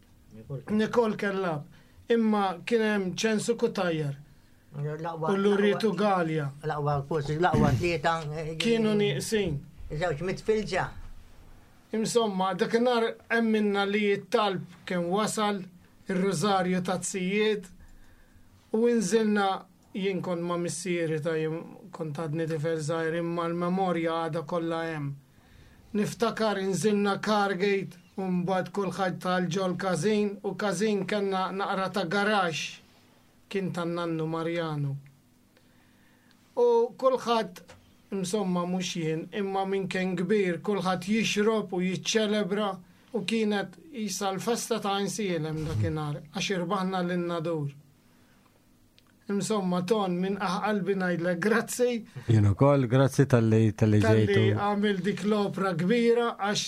Nikol Kellab. Imma kien hemm Ċensu Cutajar. U Loreto Gallia. L-aqwa forsi l-aqwa tlieta. Kienu nieqsin. Żewġ mitfilġa. Insomma, dakinhar emminna li t-talb kien wasal ir-rużarju ta' tzijiet u nżilna Jien kont ma' missieri ta' jien kont għadni tifel żgħir imma l-memorja għadha kollha hemm. Niftakar inżilna Cargate u mbagħad kulħadd tal ġol każin u każin kellna naqra ta' garaxx kien tan-nannu Marjanu. U kulħadd insomma mhux jien imma min kien kbir kulħadd jixrob u jiċċelebra u kienet jisa l-festa ta' Għajnsielem dakinhar għax irbaħna lin-Nadur. Insomma, Ton, minn qalbi ngħidlek grazzi Jien ukoll, grazzi talli talli talli ġejtu. għamil dik l-opra kbira għax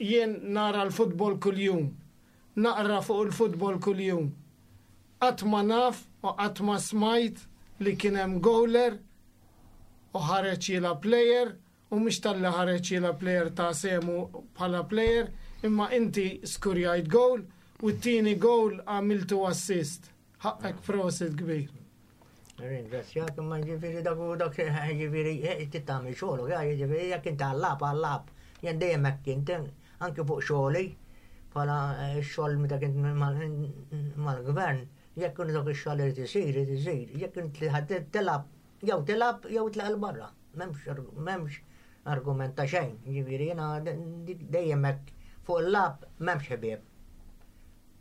jien nara l-futbol kull-jum. Naqra fuq il-futbol kull-jum. Qatt ma naf u qatt ma smajt li kien hemm goaler u ħareġ jilgħab player u mhux talli ħareġ jilgħab player ta' semu bħala player imma inti skurjajt goal u t-tieni goal għamiltu assist. Ħaqqek prosit kbir. Ringrazzjak, imma ġifieri dak u dak ġifieri tittamil xogħol, ġifieri jekk inti għall-lagħab għall-lagħab. Jien dejjem hekk kint, anke fuq xogħli bħala x-xogħol meta kint mal-gvern, jekk kien dak ix-xogħol irid isir, irid isir, jekk inti ħadd tilgħab, jew tilgħab jew tlaq 'il barra. M'hemmx m'hemmx argument ta' xejn, ġifieri jiena dejjem hekk fuq il-lagħab m'hemmx ħbieb.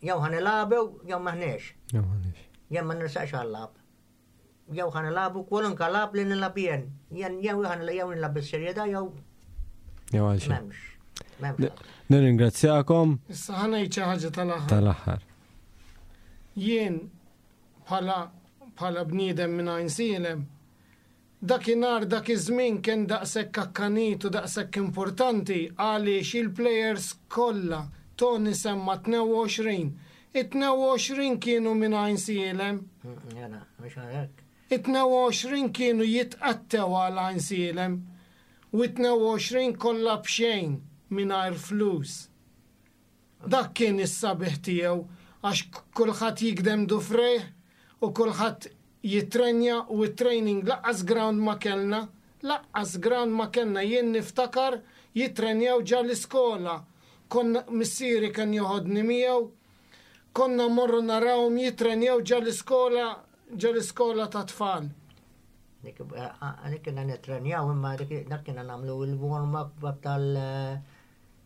Jew ħa nilagħbu jew m'aħniex. Jew m'aħniex. Jien ma nirsaqx għal-lagħab. Jew ħa nilagħbu kwalunkwe lagħab li nilgħab jien. Jien jew ħa jew nilgħab bis-serjetà jew Jew għal xejn. m'hemmx. M'hemmx. Nirringrazzjakom Issa ħa ngħid xi ħaġa tal-aħħar. tal-aħħar. Jien bħala bħala bniedem minn Għajnsielem, dakinhar dak iż-żmien kien daqshekk akkanit u daqshekk importanti għaliex il-players kollha Tony semma tnejn u għoxrin. It-tnejn u għoxrin kienu minn Għajnsielem. Jena, mhux hekk. It-tnejn u għoxrin kienu jitqattew għal Għajnsielem u it-tnejn u għoxrin kollha b'xejn mingħajr flus. Dak kien is-sabiħ tiegħu għax kulħadd jikdem dufrejh u kulħadd jitrenja u t-training lanqas ground ma kellna, lanqas ground ma kellna jien niftakar jitrenjaw ġa l-iskola. Konna missieri kien joħodni miegħu, konna morru narawhom jitrenjaw ġa l-iskola ġa l-iskola ta' tfal. Dik dik kienna nitrenjaw imma dik dak kienna nagħmlu il-warm up tal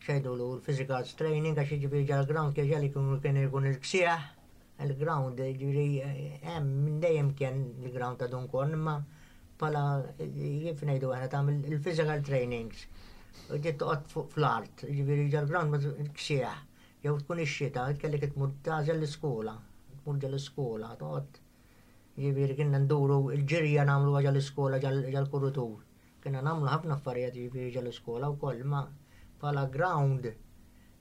xejdulu l-physical training għax jiġifieri ġal ground kien ġali kien ikun il-ksieħ il-ground ġifieri hemm minn dejjem kien il-ground ta' Dun Korn imma bħala kif ngħidu aħna tagħmel il-physical trainings. U ġiet toqgħod fuq fl-art, ġifieri ġal ground ma ksieħ. Jew tkun ix-xita, kellek tmur tagħżel l-iskola, tmur ġal l-iskola, toqgħod Ġifieri kienna nduru il-ġirja nagħmlu ġal l-iskola ġal kurutur. Kienna nagħmlu ħafna affarijiet ġifieri ġal l-iskola wkoll, ma bħala ground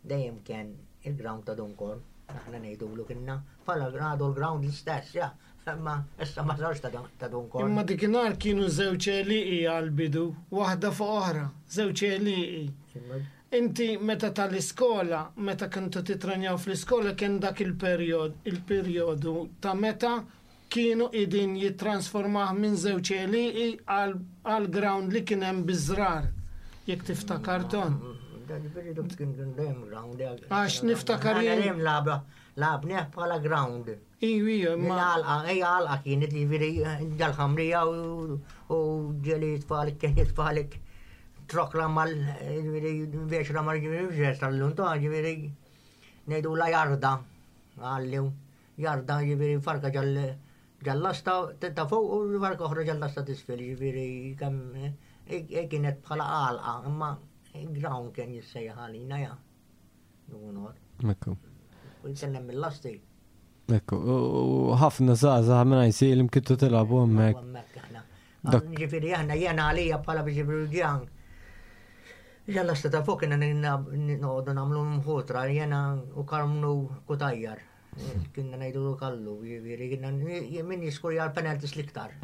dejjem kien il-ground ta' Dun Korn. Aħna ngħidulu kienna bħala għadu l-ground l-istess, ja. Ma issa ma sarx ta' Dun Korn. Imma dikinhar kienu żewġ għelieqi għal-bidu, waħda fuq oħra, żewġ għelieqi. Inti meta tal-iskola, meta kontu titrenjaw fl-iskola kien dak il-perjod, il-perjodu ta' meta kienu idin jittransformah minn żewġ għelieqi għal ground li kien hemm biż-żrar. Jekk tiftakar Ton. Għax niftakar jien- Dejjem lagħba lagħabnieh bħala ground. Iju, iju, imma Għalqa, ejja għalqa kienet li ġifieri ġal-ħamrija u ġeli jitfalik, kien jitfalik trok ramal, ġifieri biex ramal ġifieri biex tal-lunta, ġifieri ngħidu la jarda, għallu, jarda ġifieri farka ġal ġal-lasta ta' fuq u farka oħra ġal-lasta t'isfel, ġifieri kemm kienet bħala għalqa, imma ground kien jissejjaħ għalina ja. Dunor. Ekku. U jitkellem mill-lasti. Ekku, u ħafna żgħażagħ minn Għajnsielem kintu tilagħbu hemmhekk. Hemmhekk aħna. Dak- Ġifieri aħna jena għalija bħala ġifieri ġan. Ġal-lasta ta' fuq kienna noqogħdu nagħmlu mħutra jena u Karmnu Kutajjar. Kienna ngħidu kallu, ġifieri kienna min jiskurja l-penalties l-iktar.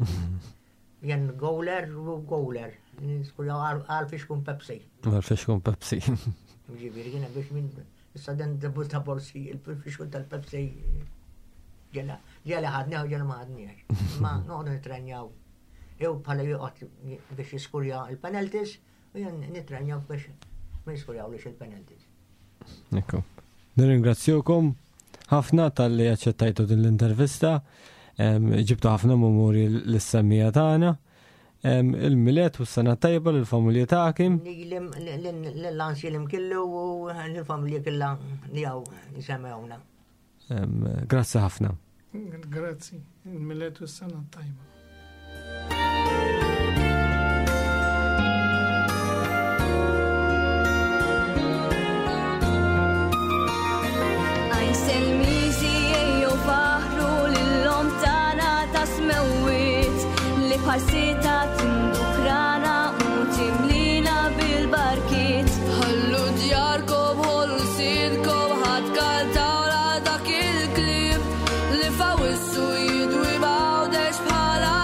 Jen goaler u goaler. Niskurja għal fixkun Pepsi. Għal fixkun Pepsi. Ġifieri kienna biex minn issa den debu ta' borsi, il-fixkun tal-Pepsi. Ġela, ġela ħadnieh u ġela ma ħadniex. Ma noqogħdu nitrenjaw. Jew bħala joqgħod biex jiskurja il-penalties u jien nitrenjaw biex ma jiskurjawlix il-penalties. Ekku. Nirringrazzjukom ħafna talli aċċettajtu din l-intervista. Ġibtu ħafna memorji lis-semmiegħa tagħna. Il-Milied u s-sena tajba lill-familja tagħkom. L-Għajnsielem kollu u l-familja kollha li hawn jisimgħuna. Grazzi ħafna. Grazzi, il-Milied u s-sena tajba. Għajnselmiżi ejjew faħru lil-Omm tagħna ta' smewwiet li bħal-sita tindukrana u timlina bil-barkiet. Ħallu djarkom, ħollu lsienkom, ħa tkantaw dak il-kliem li f'Awwissu jidwi m'Għawdex bħala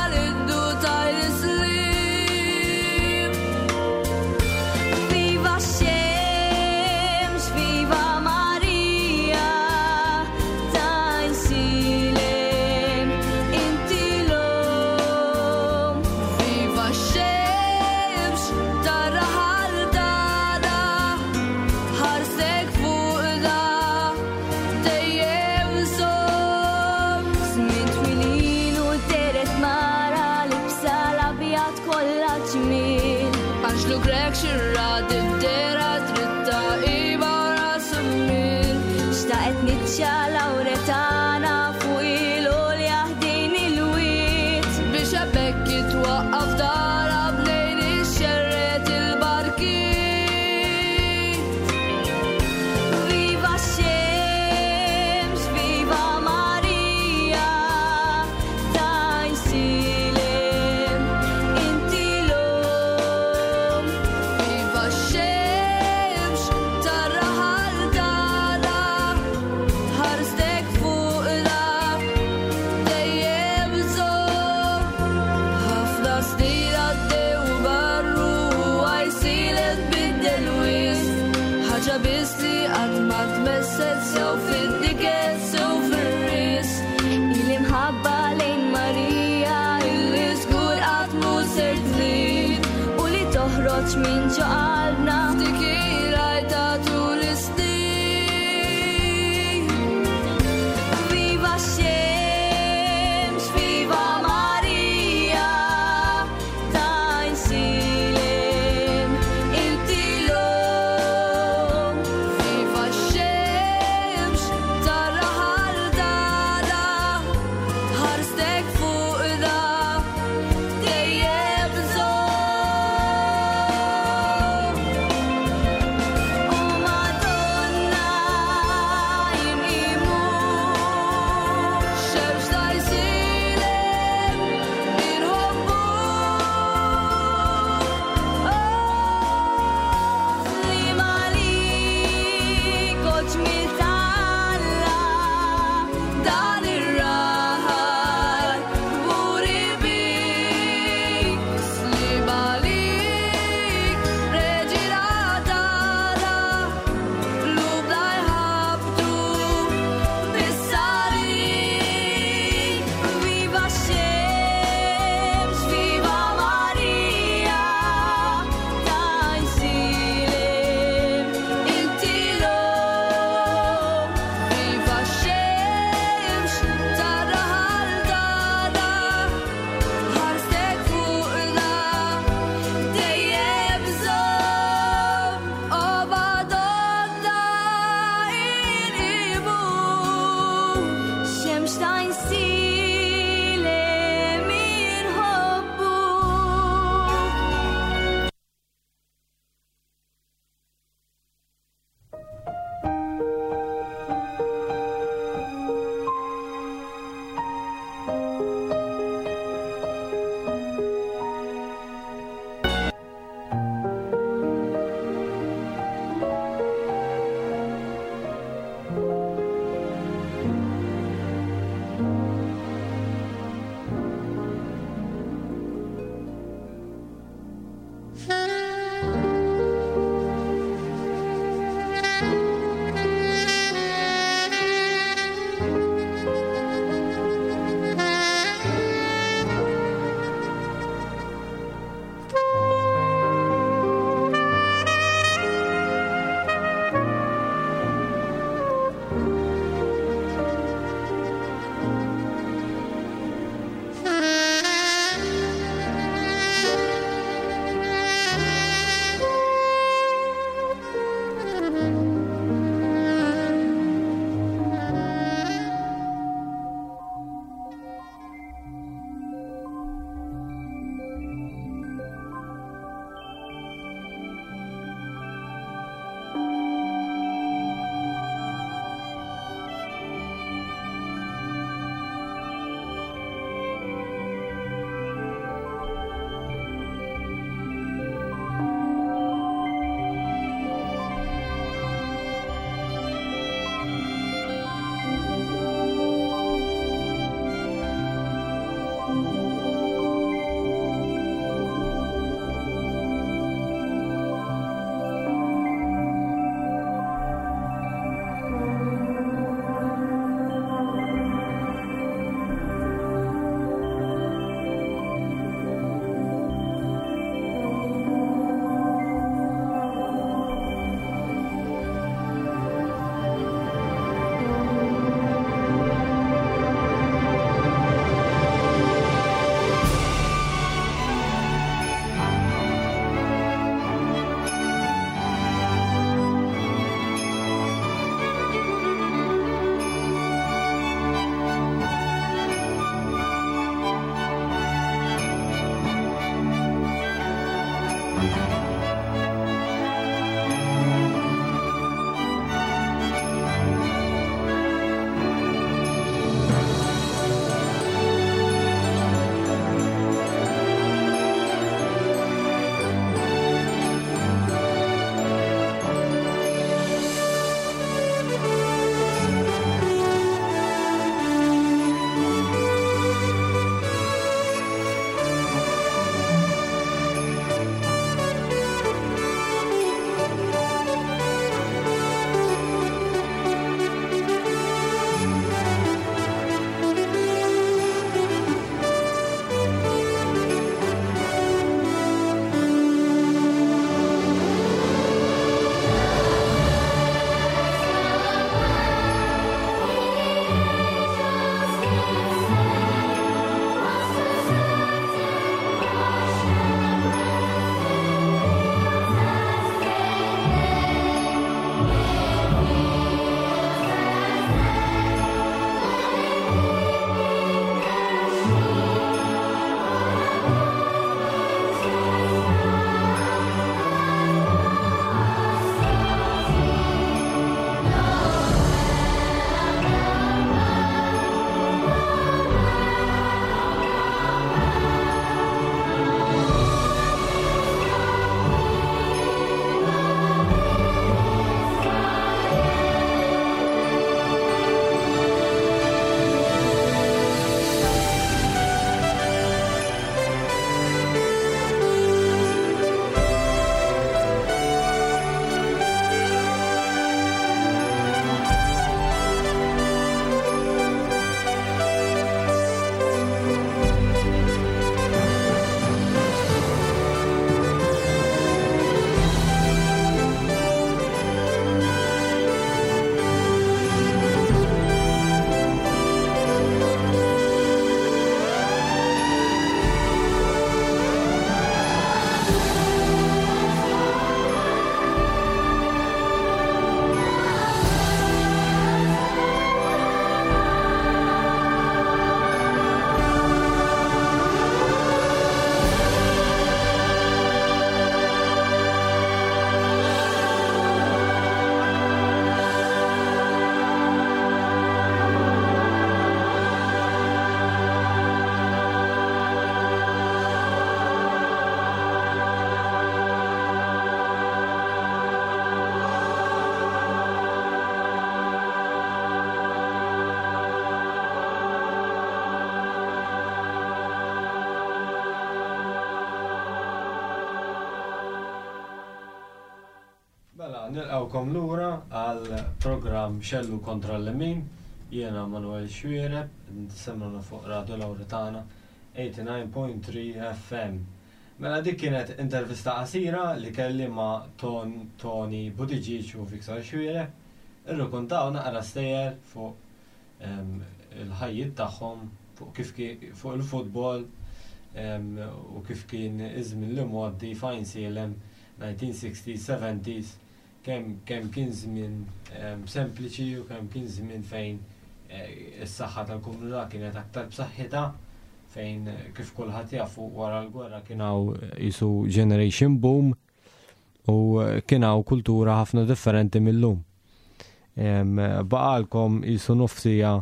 Nilqawkom lura għal programm Xellug kontra l-Lemin. Jiena Manuel Xuereb, tisimgħuna fuq Radio Lauretana eighty-nine point three F M. Mela dik kienet intervista qasira li kelli ma' Ton Tony Buttigieg u Victor Xuereb. Irrakkontaw naqra stejjer fuq em, il-ħajjiet tagħhom, fuq kif ki- fuq il-futbol em, u kif kien iż-żmien li mgħoddi f'Għajnsielem nineteen sixties, seventies, kemm kemm kien żmien em, sempliċi u kemm kien żmien fejn eh, is-saħħa tal-komunità kienet aktar b'saħħitha, fejn eh, kif kulħadd jafu, wara l-gwerra kien hawn qisu generation boom u eh, kien hawn kultura ħafna differenti mill-lum. Em, Baqalkom qisu nofs siegħa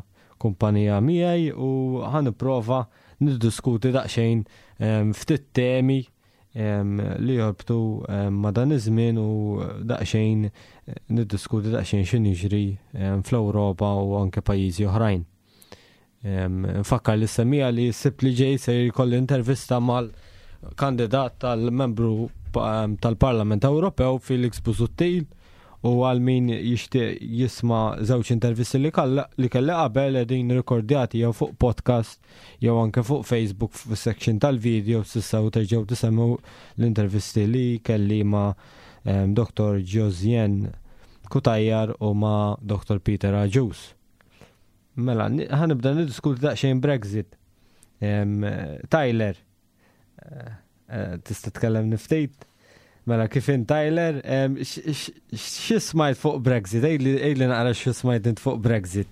kumpanija miegħi u ħa nipprova niddiskuti daqsxejn em, ftit temi em, li jorbtu em, ma' dan iż-żmien u daqsxejn eh, niddiskuti daqsxejn x'inhu jiġri em, fl-Ewropa u anke pajjiżi oħrajn. Em, Nfakkar lis-semmiegħa li s-Sibt li ġej se jkolli intervista mal-kandidat tal-membru pa- tal-Parlament Ewropew Felix Busuttil u għal min jixtieq jisma' żewġ intervisti li kalla- li kelli qabel, qegħdin rikordjati jew fuq podcast jew anke fuq Facebook fis-section tal-video, tistgħu terġgħu tisimgħu l-intervisti li kelli ma' em, Doktor Josien Cutajar u ma' Doktor Peter Agius. Mela, ni- ħa nibda niddiskuti daqsxejn Brexit. Em, Tyler, eh, eh, tista' tkellem ftit? Mela, kif in Tyler, em, x- x- xi smajt fuq Brexit? Għidli għidli naqra xi smajt int fuq Brexit.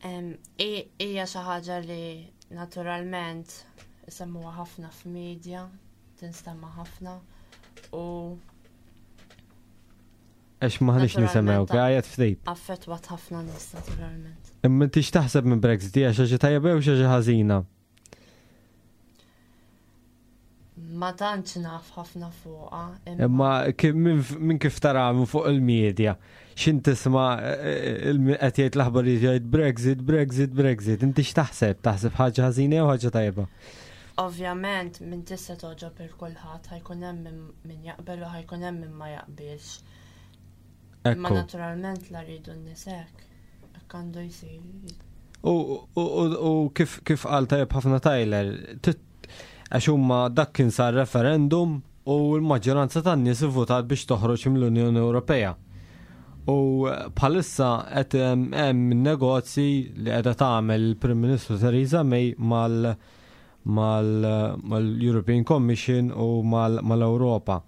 Em, i- Hija xi ħaġa li naturalment isemmuha ħafna f'media, tinstema' ħafna u Għax m'aħniex nisimgħu, għajjat ftit. affettwat ħafna nies naturalment. Imma inti x'taħseb minn Brexit? Hija xi ħaġa tajba jew xi ħaġa ħażina? Ma tantx naf ħafna fuqha. Imma kif- minn minn kif tara minn fuq il-medja, x'int tisma' eh, il- qed jgħid l-aħbarijiet, jgħid Brexit, Brexit, Brexit. Inti x'taħseb? Taħseb ħaġa ħażina jew ħaġa tajba? Ovvjament minn tista' toġob il kulħadd, ħa jkun hemm min- min jaqbel u ħa jkun hemm min ma jaqbilx. Imma Ekku. naturalment la rridu n-nies hekk. Hekk għandu jsir. U, u, u, u kif, kif qal tajjeb ħafna Tyler, tit- għax huma dak kien sar referendum u l-maġġoranza tan-nies ivvutat biex toħroġ mill-Unjoni Ewropea. U bħalissa qed hemm hemm negozji li qiegħda tagħmel il-Prim Ministru Theresa May mal mal mal-European Commission u mal- mal-Ewropa.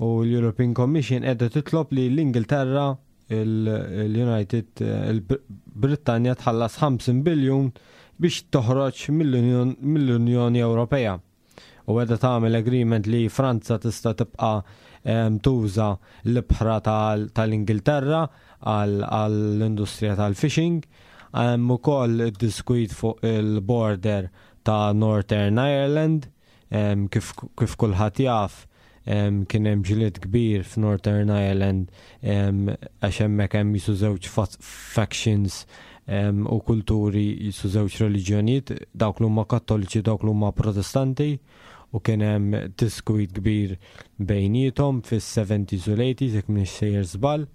U l-European Commission qiegħda titlob li l-Ingilterra, il-United il-Brittanja tħallas ħamsin biljun biex toħroġ mill-Unjon- mill-Unjoni Ewropea. U qiegħda tagħmel agreement li Franza tista' tibqa' em, tuża l-ibħra tal- tal-Ingilterra għall-industrija tal-fishing. Hemm ukoll diskwit fuq il-border ta' Northern Ireland, em, kif, kif kulħadd jaf, em, kien hemm ġlied kbir f'Northern Ireland em, għax hemmhekk hemm qisu żewġ fa- factions em, u kulturi, qisu żewġ reliġjonijiet, dawk li huma Kattoliċi, dawk li huma Protestanti, u kien hemm diskwit kbir bejniethom fis-seventies u l-eighties, jekk m'iniex sejjer żball.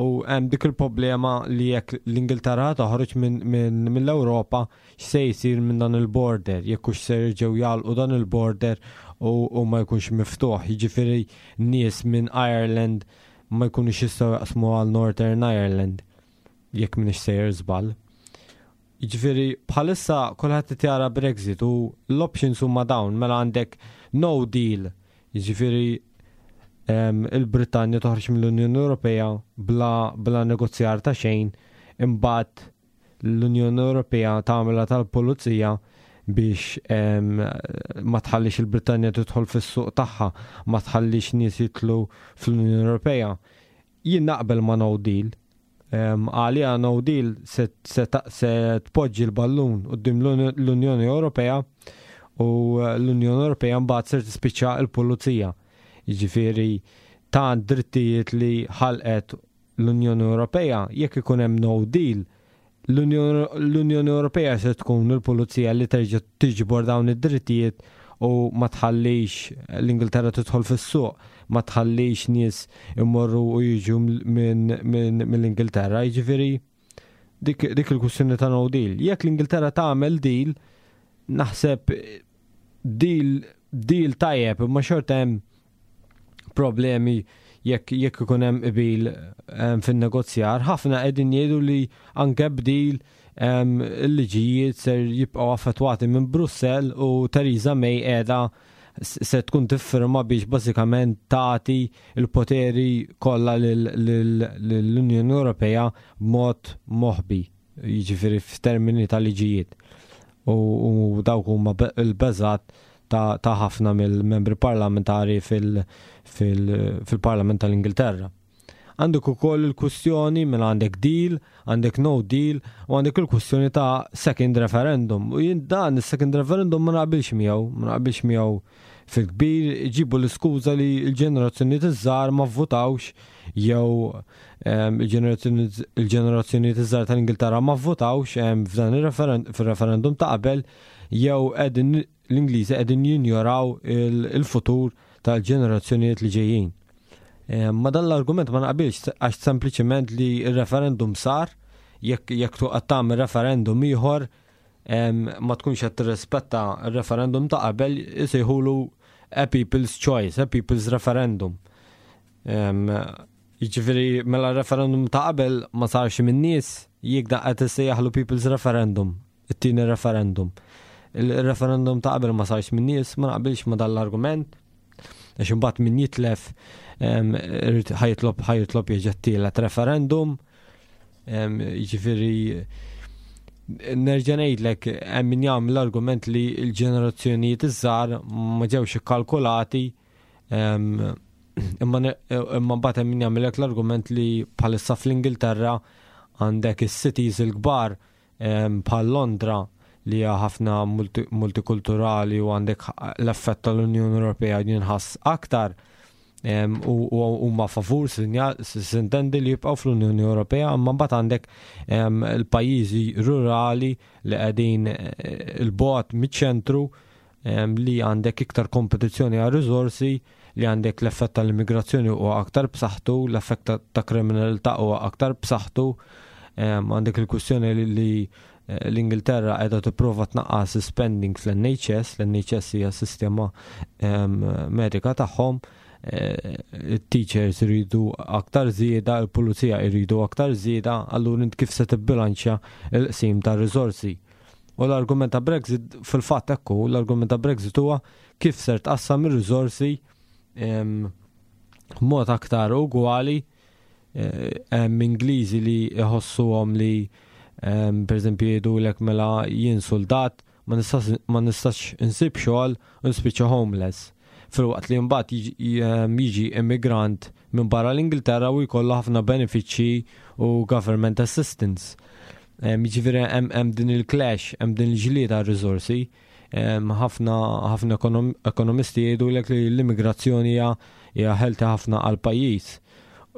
U hemm dik il-problema li jekk l-Ingilterra toħroġ minn min, mill-Ewropa, x'se jsir minn dan il-border, jekk hux se jerġgħu jagħlqu dan il-border u, u ma jkunx miftuħ. Jiġifieri nies minn Ireland ma jkunux jistgħu jaqsmu għal Northern Ireland, jekk m'iniex sejjer żball. Jiġifieri bħalissa kulħadd qed jara Brexit u l-options huma dawn: mela għandek no deal, jiġifieri em, il-Brittanja toħroġ mill-Unjoni Ewropea bla, bla negozjar ta' xejn, imbagħad l-Unjoni Ewropea tagħmilha tal-pulizija biex em, ma tħallix il-Brittanja tidħol fis-suq tagħha, ma tħallix nies jidħlu fl-Unjoni Ewropea. Jien naqbel ma' no deal. Em, Għalija no deal se, se, ta- se tpoġġi l-ballun quddiem l-Unjoni Ewropea u l-Unjoni Ewropea mbagħad ser tispiċċa l-pulizija. Jiġifieri ta' drittijiet li ħalqet l-Unjoni Ewropea, jekk ikun hemm no deal, l-Unjoni l-Unjoni Ewropea se tkun il-pulizija li terġa' tiġbor dawn id-drittijiet. U ma tħallix l-Ingilterra tidħol fis-suq, ma tħallix nies immorru u jiġu mill-Ingilterra, jiġifieri dik, dik il-kwistjoni ta' no deal. Jekk l-Ingilterra tagħmel deal, naħseb deal deal tajjeb, imma xorta hemm problemi jekk jekk ikun hemm qbil fin-negozjar. Ħafna qegħdin jgħidu li anke b'deal il-liġijiet ser jibqgħu affettwati minn Brussell u Theresa May qiegħda se tkun tiffirma biex bażikament tagħti il-poteri kollha lill-Unjoni Ewropea b'mod moħbi, jiġifieri f'termini ta' liġijiet. U dawk huma il-beżat ta' ħafna mill-membri parlamentari fil-Parlament tal-Ingilterra. Għandek ukoll il-kwistjoni minn għandek deal, għandek no deal u għandek il-kwistjoni ta' second referendum. U jien dan is-second referendum ma naqbilx miegħu, ma naqbilx miegħu fil-kbir, ġibu l-iskuża li l-ġenerazzjoni iż-żgħar ma vvotawx jew il-ġenerazzjoni iż-żgħar tal-Ingilterra ma vvotawx f'dan il-referendum ta' qabel jew qegħdin l-Ingliżi qegħdin jinjoraw il-futur tal-ġenerazzjonijiet li ġejjin. Ma dan l-argument ma naqbilx għax sempliċement li il-referendum sar, jekk jekk toqgħod tagħmel referendum ieħor ma tkunx qed tirrispetta r-referendum ta' qabel, isejħulu a people's choice, a people's referendum. Jiġifieri mela referendum ta' qabel ma sarx min-nies, jekk da qed issejjaħlu people's referendum, it-tieni referendum. Il-referendum ta' qabel ma sarx min-nies, ma naqbilx ma dan l-argument. Għax imbagħad min jitlef ħa jitlob ħa jitlob jerġa' tielet referendum. Jiġifieri nerġa' ngħidlek, hemm min jagħmel l-argument li l-ġenerazzjonijiet iż-żgħar ma ġewx ikkalkulati, imma imma mbagħad hemm min jagħmellek l-argument li bħalissa fl-Ingilterra għandek is-cities il-kbar bħal Londra li hija ħafna multikulturali u għandek l-effett tal-Unjoni Ewropea jinħass aktar u huma favur sintendi li jibqgħu fl-Unjoni Ewropea, imma mbagħad għandek il-pajjiżi rurali li qegħdin eh, il-bogħod miċ-ċentru li għandek iktar kompetizzjoni għal riżorsi, li għandek l-effett tal-immigrazzjoni huwa aktar b'saħħtu, l-effett ta' kriminalità huwa aktar b'saħħtu, għandek il-kwistjoni li eh, l-Ingilterra qiegħda tipprova tnaqqas spending fl-N H S, l-N H S hija sistema medika tagħhom, eh, il-teachers iridu aktar żieda, il-pulizija iridu aktar żieda, allura int kif se tibbilanċja il-qsim ta' riżorsi? U l-argument ta' Brexit fil-fatt ekku, l-argument ta' Brexit huwa kif ser tqassam ir-riżorsi mod aktar ugwali. eh, Hemm Ingliżi li jħossuhom li per eżempju jgħidulek mela jien soldat ma nistax insib xogħol u nispiċċa homeless. Filwaqt li mbagħad jiġi immigrant minn barra l-Ingilterra u jkollu ħafna benefiċċji u government assistance. Jiġifieri hemm din il-clash, hemm din il-ġlieda riżorsi. Ħafna ħafna ekonomisti jgħidulek li l-immigrazzjoni hija healthy ħafna għal pajjiż.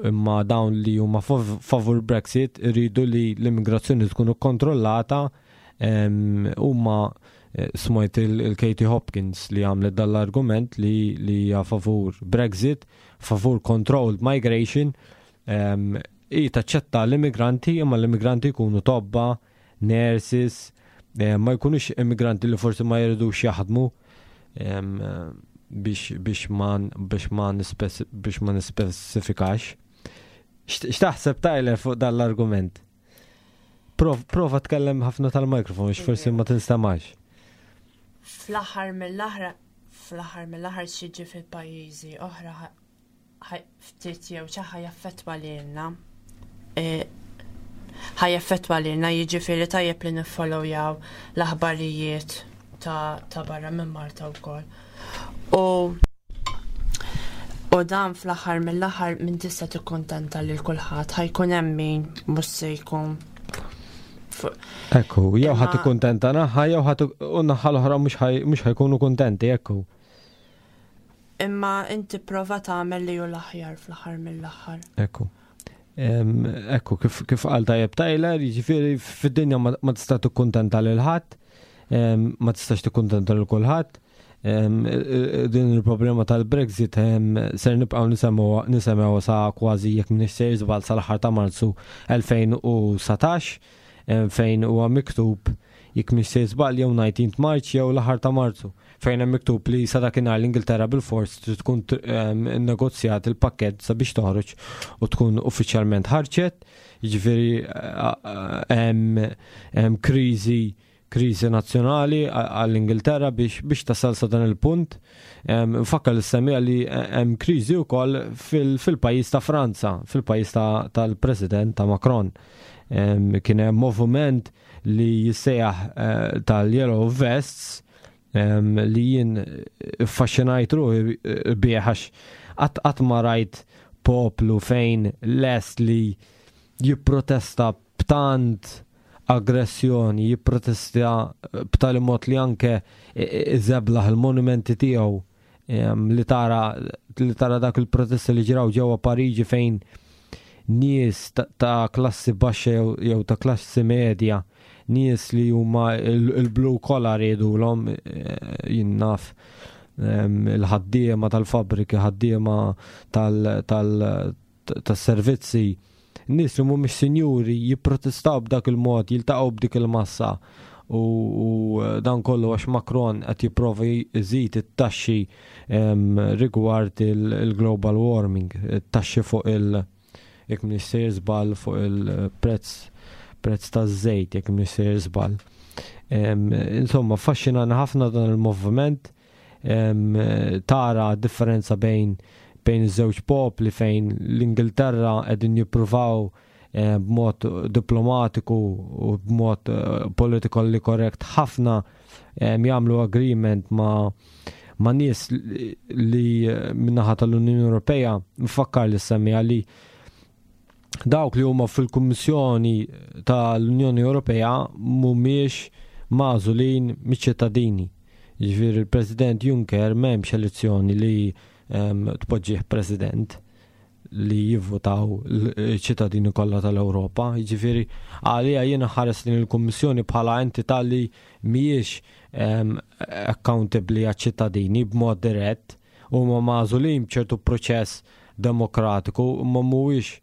Imma dawn li huma favur Brexit iridu li l-immigrazzjoni tkun kontrollata. Huma eh, smajt il-Katie Hopkins li għamlet dal-argument li li hija favur Brexit, favur controlled migration, i taċċetta l-immigranti, imma l-immigranti jkunu tobba, nurses, ma jkunux immigranti li forsi ma jridux jaħdmu, biex biex ma biex ma biex ma nispecifikax. X'taħseb, Tyler, fuq dan l-argument? Prova tkellem ħafna tal-mikrofon biex forsi ma tinstamax. Fl-aħħar mill-aħħar fl-aħħar mill-aħħar x'jiġri fil-pajjiżi oħra ftit jew xi ħa jaffettwa lilna. E, ħa jaffettwa lilna, jiġifieri tajjeb li niffollowjaw l-aħbarijiet ta', ta barra minn Malta wkoll. U U dan fl-aħħar mill-aħħar minn tista' tikkuntenta lil kulħadd, ħa jkun hemm min mhux se jkun. Ekku, jew ħa tikkuntenta naħa jew ħa u naħa l-oħra mhux ħa jkunu kuntenti, ekku. Imma inti prova tagħmel li hu l-aħjar fl-aħħar mill-aħħar. Ekku. Ekku, kif kif qal tajjeb Tyler, jiġifieri fid-dinja ma tista' tikkuntenta lil ħadd, ma tistax tikkuntenta lil kulħadd. Din il-problema tal-Brexit ser nibqgħu nisimgħu sa kważi, jekk m'iniex sejjer żball, sal-aħħar ta' Marzu elfejn u satax, fejn huwa miktub, jekk m'iniex sejjer żball, jew nineteen March jew l-aħħar ta' Marzu, fejn hemm miktub li sa dakinhar l-Ingilterra bil-fors trid tkun negozjat il-pakkett sabiex toħroġ u tkun uffiċjalment ħarġet. Jiġifieri hemm kriżi kriżi nazzjonali għall-Ingilterra biex biex tasal sa dan il-punt. Nfakkar lis-semmiegħa li hemm kriżi wkoll fil-pajjiż ta' Franza, fil-pajjiż tal-President ta' Macron. Kien hemm moviment li jissejjaħ eh, tal-Yellow Vests li jien affaxxinajt ruħi bih għax qatt ma rajt poplu fejn lest li jipprotesta b'tant aggressjoni, jipprotesta b'tali mod li anke iżeblaħ il-monumenti tiegħu, li tara li tara dak il-protesti li ġraw ġewwa Pariġi fejn nies ta' klassi baxxa jew ta' klassi medja, nies li huma il-blue collar jgħidulhom, eh, jien naf, il-ħaddiema tal-fabriki, ħaddiema tal-servizzi, nies li mhumiex sinjuri jipprotestaw b'dak il-mod, jiltaqgħu b'dik il-massa u, u dan kollu għax Macron qed jipprova jżid it-taxxi rigward il-global warming, it-taxxi fuq il- jekk m'iniex sejjer żball, fuq il-prezz prezz taż-żejt, jekk m'iniex sejjer żball. Insomma, affaxxinani ħafna dan il-moviment, tara differenza bejn bejn iż-żewġ popli, fejn l-Ingilterra qegħdin jippruvaw eh, b'mod diplomatiku u b'mod eh, politically correct ħafna jagħmlu agreement ma' ma' nies li min-naħa tal-Unjoni Ewropea. Nfakkar lis-semmiegħa li dawk li huma fil-Kummissjoni tal-Unjoni Ewropea mhumiex magħżulin miċ-ċittadini. Jiġifieri il-President Juncker m'hemmx elezzjoni li tpoġġih president li jivvotaw l-ċittadini kollha tal-Ewropa. Jiġifieri għalija jiena nħares lejn il-Kummissjoni bħala entità li mhijiex accountable għaċ-ċittadini b'mod dirett. Huma magħżulin b'ċertu proċess demokratiku, ma mhuwiex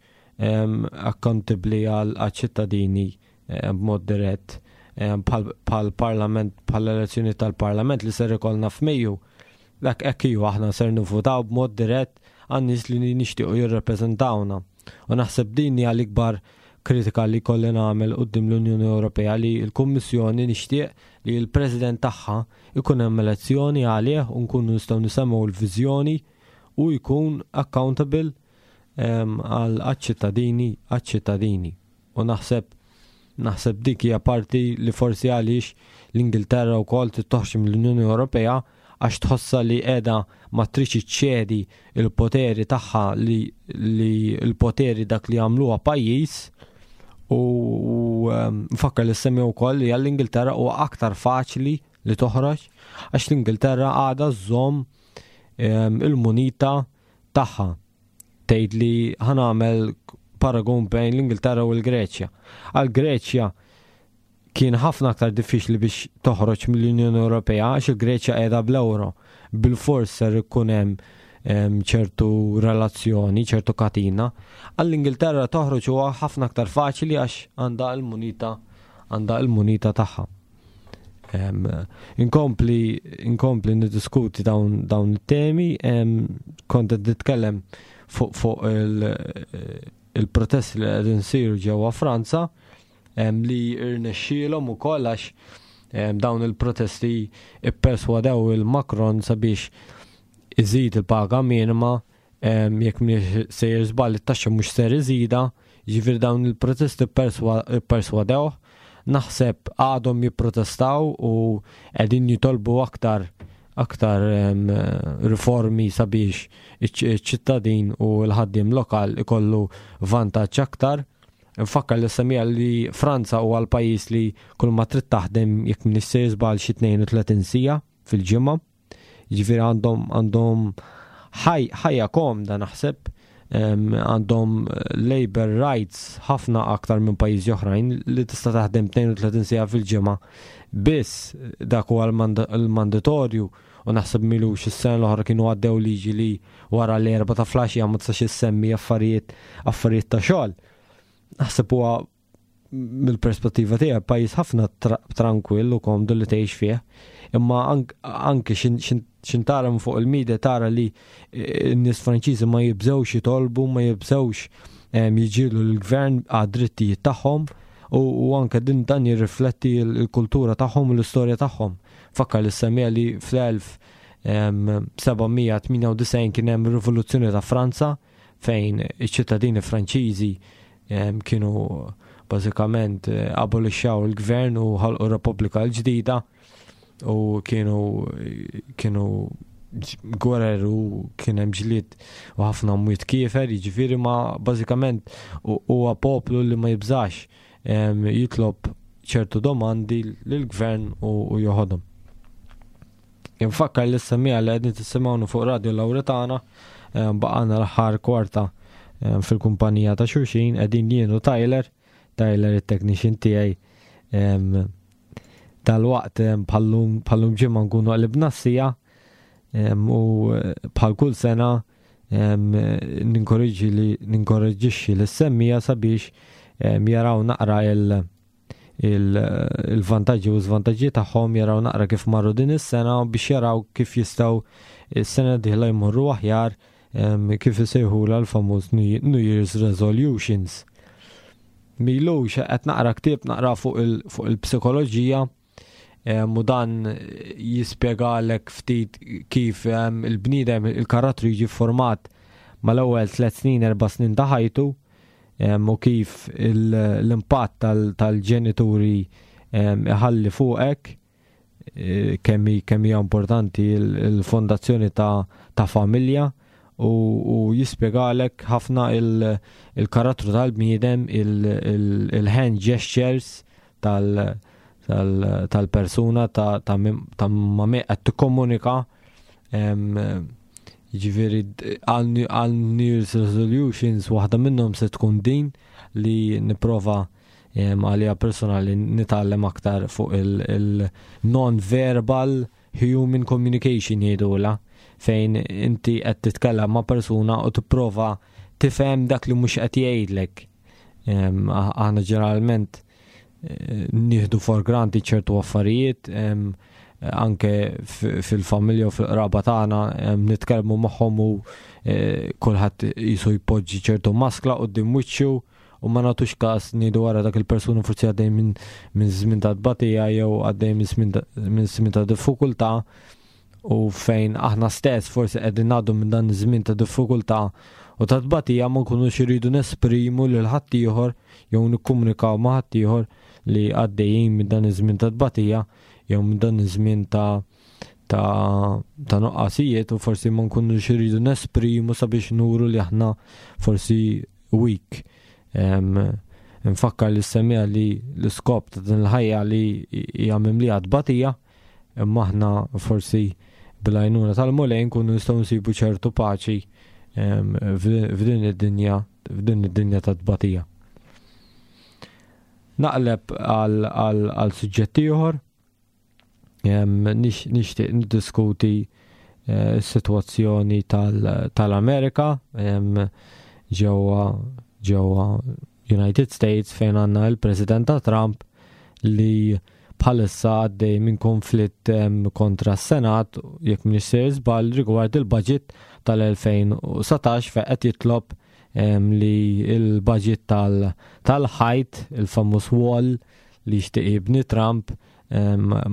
accountable għal ċittadini b'mod dirett bħal parlament, bħal elezzjoni tal-parlament li ser ikollna f'Mejju. Dak hekk ju aħna ser nivvotaw b'mod dirett għan-nies li nixtiequ jirrepreżentawna. U naħseb din hija l-ikbar kritika li kolli nagħmel quddiem l-Unjoni Ewropea, li l-Kummissjoni nixtieq li l-President tagħha ikun hemm elezzjoni għalih u nkunu nistgħu nisimgħu l-viżjoni u jkun accountable għal ċittadini għal ċittadini. U naħseb naħseb dik hija parti li forsi għaliex l-Ingilterra wkoll toħroġ mill-Unjoni Ewropea, għax tħossa li qiegħda ma tridx iċċedi il-poteri tagħha, li, li l-poteri dak li għamluha pajjiż. U nfakkar lis-semmiegħa wkoll li għall-Ingilterra huwa aktar faċli li toħroġ għax l-Ingilterra għadha żżomm il-munita tagħha. Tgħid li ħa nagħmel paragun bejn l-Ingilterra u l-Greċja. Għal-Greċja kien ħafna aktar diffiċli biex toħroġ mill-Unjoni Ewropea għax il-Greċja qiegħda bl-euro. Bil-fors ser ikun hemm ċertu relazzjoni, ċertu katina. Għall-Ingilterra toħroġ huwa ħafna aktar faċli għax għandha l-munita għandha l-munita tagħha. Inkompli inkompli niddiskuti dawn dawn it-temi, kont qed nitkellem fuq fuq il-protesti li qegħdin isiru ġewwa Franza, li irnexxielhom ukoll għax dawn il-protesti ipperswadew il-Macron sabiex iżid il-paga minima, jekk m'iniex sejjer żball it-taxxa mhux ser iżida, jiġifieri dawn il-protesti ipperswadew. Naħseb għadhom jipprotestaw u qegħdin jitolbu aktar aktar riformi sabiex iċ-ċittadin u l-ħaddiem lokal ikollu vantaġġ aktar. Nfakkar lis-semmiegħa li Franza huwa l-pajjiż li kull ma trid taħdem, jekk m'iniex sejjer żball, xi tnejn u tletin siegħa fil-ġimgħa. Jiġifieri għandhom għandhom ħajja komda naħseb, għandhom labor rights ħafna aktar minn pajjiżi oħrajn li tista' taħdem tnejn u tletin siegħa fil-ġimgħa. Biss dak huwa l-mandatorju. U naħseb m'ilux is-sena l-oħra kienu għaddew liġi li wara l-erba ta' filgħaxija ma tistax issemmi affarijiet affarijiet ta' xogħol. Naħseb huwa mill-perspettiva tiegħek pajjiż ħafna tranquill u komdu li tgħix fih. Imma anke x'ħin tara fuq il-media tara li eh, n-nies Franċiżi ma jibżewx jitolbu, ma jibżewx jiġġieldu l-gvern għad-drittijiet tagħhom u anke din dan jirrifletti l-kultura tagħhom u l-istorja tagħhom. Fakkar li semmija li fl-elf seba' mija tmienja u disgħin kien hemm rivoluzzjoni ta' Franza fejn iċ-ċittadini Franċiżi kienu bażikament eh, abolixxaw il-gvern u ħalqu Repubblika l-ġdida u kienu kienu gwerer u kien hemm ġlied u ħafna mwiet kiefer, jiġifieri ma bażikament huwa poplu li ma jibżax jitlob ċertu domandi lill-gvern u joħodhom. Infakkar li s-semmiegħa li qegħdin tisimgħuna fuq Radio Lauretana, baqgħalna l-aħħar kwarta fil-kumpanija ta' xulxin, qegħdin jien u Tyler, Tyler il-technician tiegħi. Dal-waqt bħal-lum ġimgħa nkunu qlibna s-siegħa u bħal kull sena ninkoraġġi li ninkoraġġixxi lis-semmiegħa sabiex jaraw naqra il- il-vantaġġi u żvantaġġi tagħhom, jaraw naqra kif marru din is-sena biex jaraw kif jistgħu is-sena dieħla jmorru aħjar, kif isejħula l-famuż New Year's Resolutions. M'ilux qed naqra ktieb naqra fuq il-psikoloġija u dan jispjegalek ftit kif il-bniedem, il-karattru jiġi format mal-ewwel tliet snin, erba' snin ta' ħajtu u kif l-impatt tal-ġenituri iħalli fuqek, e, kemm kemm hija importanti il-fondazzjoni ta' familja u jispjegalek ħafna il-karattru tal-bniedem, il-hand gestures tal-persuna ta' ma' qed tikkomunika. Ġifieri għal New Year's Resolutions waħda minnhom se tkun din li nipprova għalija personali nitgħallem aktar fuq il-non-verbal human communication jgħidula, fejn inti qed titkellem ma' persuna u tipprova tifhem dak li mhux qed jgħidlek. Aħna ġeneralment eh, nieħdu for granted ċertu affarijiet, anke fil-familja u fil-qraba tagħna nitkellmu magħhom u eh, kulħadd qisu jpoġġi ċertu maskla quddiem wiċċu u ma nagħtux każ, ngħidu wara dak il-persuna forsi għaddej minn minn żmien ta' tbatija jew għaddej minn żmien ta' diffikultà, u fejn aħna stess forsi qegħdin ngħaddu minn dan iż-żmien ta' diffikultà u ta' tbatija ma nkunux iridu nesprimu lil ħaddieħor jew nikkomunikaw ma' ħaddieħor li għaddejjin minn dan iż-żmien ta' tbatija jew minn dan iż-żmien ta' ta' ta' nuqqasijiet, u forsi ma nkunux iridu nesprimu sabiex nuru li aħna forsi weak. Nfakkar lis-semmiegħa li l-iskop ta' din il-ħajja li hija mimlija tbatija, imma aħna forsi bil-għajnuna tal-Mulej nkunu nistgħu nsibu ċertu paċi f'din id-dinja f'din id-dinja ta' tbatija. Naqleb għal suġġett ieħor, nixtieq niddiskuti eh, s-sitwazzjoni tal-Amerika ġewwa ġewwa United States, fejn għandna il-President ta' Trump li bħalissa għaddej minn konflitt kontra s-Senat, jekk m'iniex sejjer żball, rigward il-budget tal-elfejn u dsatax, fejn qed jitlob li il-budget tal-ħajt, il-famuż wall li jixtieq jibni Trump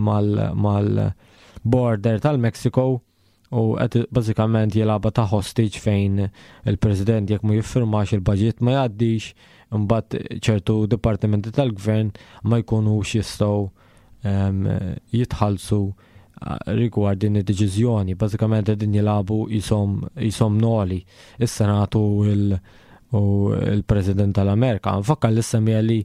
mal-border tal-Mexico, u qed bażikament jilgħabha ta' hostage fejn il-President jekk ma jiffirmax il-budget ma jgħaddix, imbagħad ċertu dipartimenti tal-gvern ma jkunux jistgħu jitħallsu rigward din id-deċiżjoni. Bażikament qegħdin jilagħbu qishom noli is-Senatu u il-President tal-Amerika. Nfakkar lis-semmiegħa li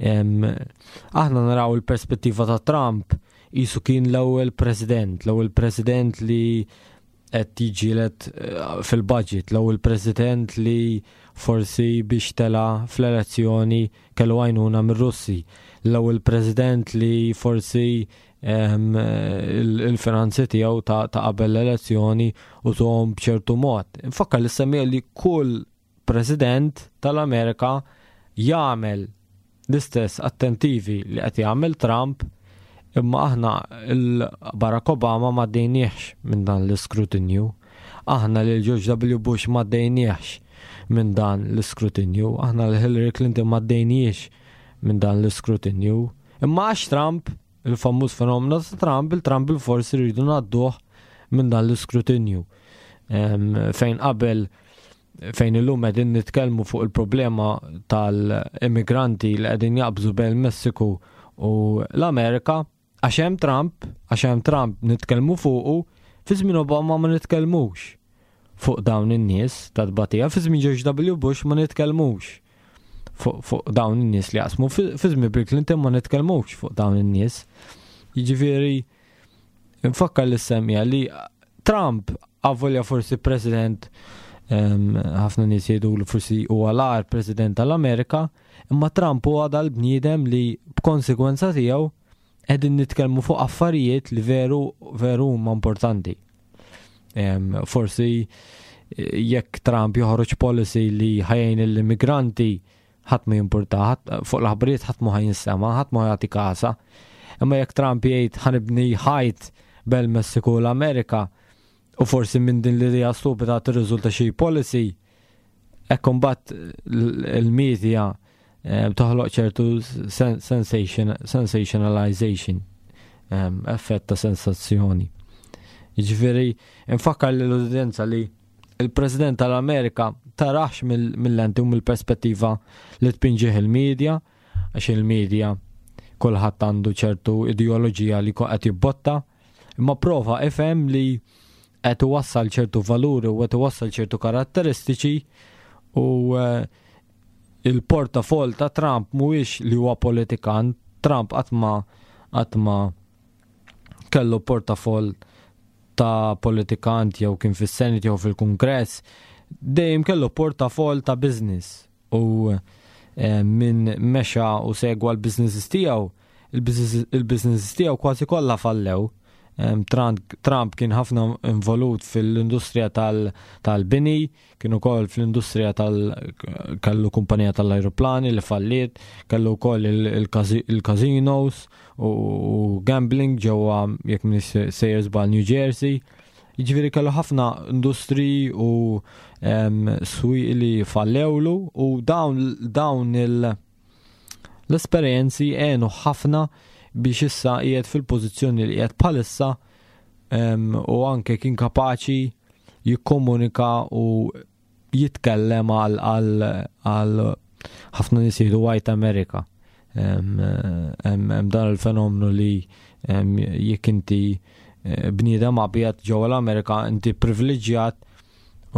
aħna naraw il-perspettiva ta' Trump qisu kien l-ewwel president, l-ewwel president li qed jiġġieled eh, fil-budget, l-ewwel president li forsi biex tela fl-elezzjoni kellu għajnuna mir-Russi, l-ewwel president li forsi il-finanzi tiegħu ta' qabel l-elezzjoni u tuhom b'ċertu mod. Nfakkar li semmija li kull president tal-Amerika jagħmel l-istess attentivi li qed jagħmel Trump, imma aħna il-Barack Obama ma dejniex minn dan l-iskrutinju. Aħna lil George W. Bush ma dejniex minn dan l-iskrutinju, aħna l Hillary Clinton ma dejniex minn dan l-iskrutinju. Imma għax Trump, il-famuż fenomenu ta' Trump, il-Trump il-forsi rridu ngħadduh minn dan l-iskrutinju. Fejn qabel, fejn illum qegħdin nitkellmu fuq il-problema tal-immigranti li qegħdin jaqbżu bejn il-Messiku u l-Amerika, għax hemm Trump, għax hemm Trump nitkellmu fuqu, fi żmien Obama ma nitkellmux fuq dawn in-nies ta' tbatija, fi żmien George W. Bush ma nitkellmux fuq, fuq dawn in-nies li jaqsmu, fi żmien Bill Clinton ma nitkellmux fuq dawn in-nies. Jiġifieri nfakkar li semmija li Trump avolja forsi president, ħafna nies jgħidu li forsi huwa l-agħar president tal-Amerika, imma Trump huwa dal-bniedem li b'konsegwenza tiegħu qegħdin nitkellmu fuq affarijiet li veru veru huma importanti. Forsi jekk Trump joħroġ policy li ħajjin l-immigranti, ħadd ma jimpurta, fuq l-aħbarijiet ħadd ma ħajjinsema, ħadd ma jagħti kasa. Imma jekk Trump jgħid ħanibni ħajt bel Messiku u l-Amerika, u forsi minn din l-idea stupida tirriżulta xi policy, hekk imbagħad il-media toħloq ċertu sensation, sensationalization, effett ta' sensazzjoni. Jiġifieri nfakkar lill-udjenza li il-President tal-Amerika tarax mill-lenti u mill-perspettiva li tpinġih il-medja, għax il-medja kulħadd għandu ċertu ideoloġija li qed jibbotta, imma prova ifhem li qed iwassal ċertu valuri u qed iwassal ċertu karatteristiċi, u il-portafol ta' Trump mhuwiex li huwa politikant. Trump qatt ma qatt ma kellu portafol ta' politikant jew kien fis-Senate jew fil-Kungress, dejjem kellu portafol ta' business, u minn mexa u segwa l-businesses tiegħu, il-businesses tiegħu kważi kollha fallew. Trump kien ħafna involut fil-industrija tal-bini, kien ukoll fl-industrija tal kellu kumpanija tal-ajruplani li falliet, kellu wkoll il-casinos u gambling ġewwa, jekk m'iniex sejjer żball, New Jersey. Jiġifieri kellu ħafna industri u swieq li fallewlu, u dawn, dawn l-esperjenzi għenu ħafna biex issa qiegħed fil-pożizzjoni li qiegħed bħalissa, u anke kien kapaċi jikkomunika u jitkellem għal, għal ħafna nies jgħidu White America. Hemm dan il-fenomenu li jekk inti bniedem abjad ġewwa l-Amerika inti privileġġjat,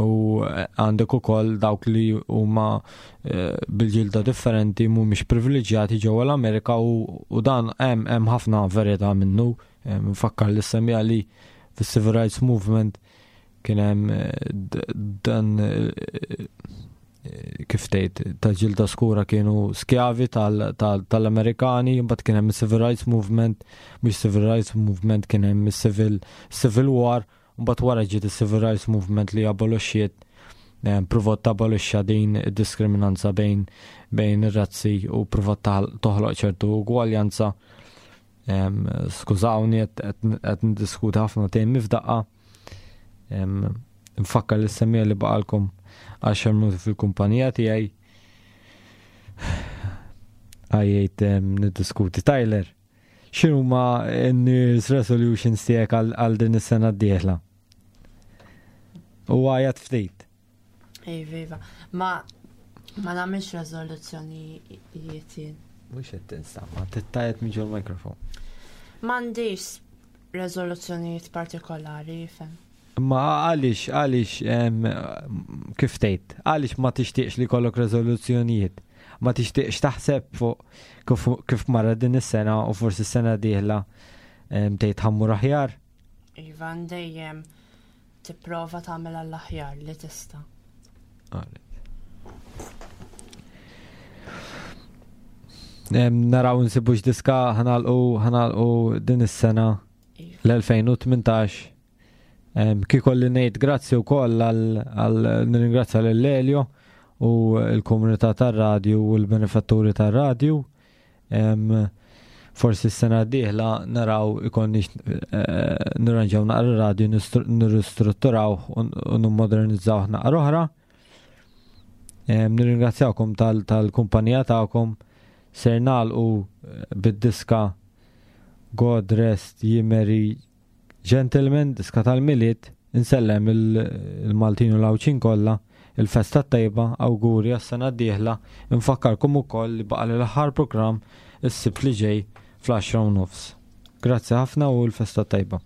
u għandek ukoll dawk li huma bil-ġilda differenti mhumiex privileġġjati ġewwa l-Amerika, u dan hemm hemm ħafna verità minnu. Nfakkar li semmija li fis-Civil Rights Movement kien hemm dan kif tgħid ta' ġilda skura kienu skjavi tal-Amerikani, imbagħad kien hemm is-Civil Rights Movement, mhux Civil Rights Movement, kien hemm is-Civil Civil War, mbagħad wara ġiet is-Civil Rights Movement li abolixxiet, provat tabolixxa din id-diskriminanza bejn bejn ir-razzi u provat toħloq ċertu ugwaljanza. Skużawni qed niddiskuti ħafna temi f'daqqa. Nfakkar li semmija li baqalkom għaxar minuti fil-kumpanija tiegħi. Għajjejt niddiskuti. Tyler, x'inhuma n-New Year's resolutions tiegħek għal din is-sena d-dieħla? U għajat ftit. Ej, viva. Ma, ma nagħmilx rezoluzzjonijiet jien. Mhux qed tinstama', tittajat minn ġol-mikrofon. M'għandix rezoluzzjonijiet partikolari, fem. Ma għaliex, għaliex, kif tgħid, għaliex ma tixtieqx li jkollok rezoluzzjonijiet? Ma tixtieqx taħseb fuq kif, kif marra din is-sena u forsi s-sena dieħla tgħid ħammur aħjar? Iva, dejjem tipprova tagħmel għall-aħjar li tista'. Għalet. Naraw nsibux diska ħa nagħlqu ħa nagħlqu din is-sena l-elfejn u tmintax. Kieku li ngħid grazzi wkoll għal nirringrazzja lil Elio u l-komunità tar-radju u l-benefatturi tar-radju. Forsi s-sena d-dieħla naraw ikonniex eh, nirranġaw naqra radju, nirristrutturaw u nimmodernizzaw naqra oħra. Nirringrazzjawkom tal-kumpanija tagħkom. Ser nagħlqu eh, bid-diska God Rest Ye Merry Gentlemen, diska tal-Milied. Insellem il-Maltin u l-Għawdxin kollha, il-festa tajba, awguri għas-sena d-dieħla. Infakkarkom ukoll li baqa' l-aħħar programm is-Sibt li ġej fl-għaxra u nofs. Grazzi ħafna u l-festa tajba.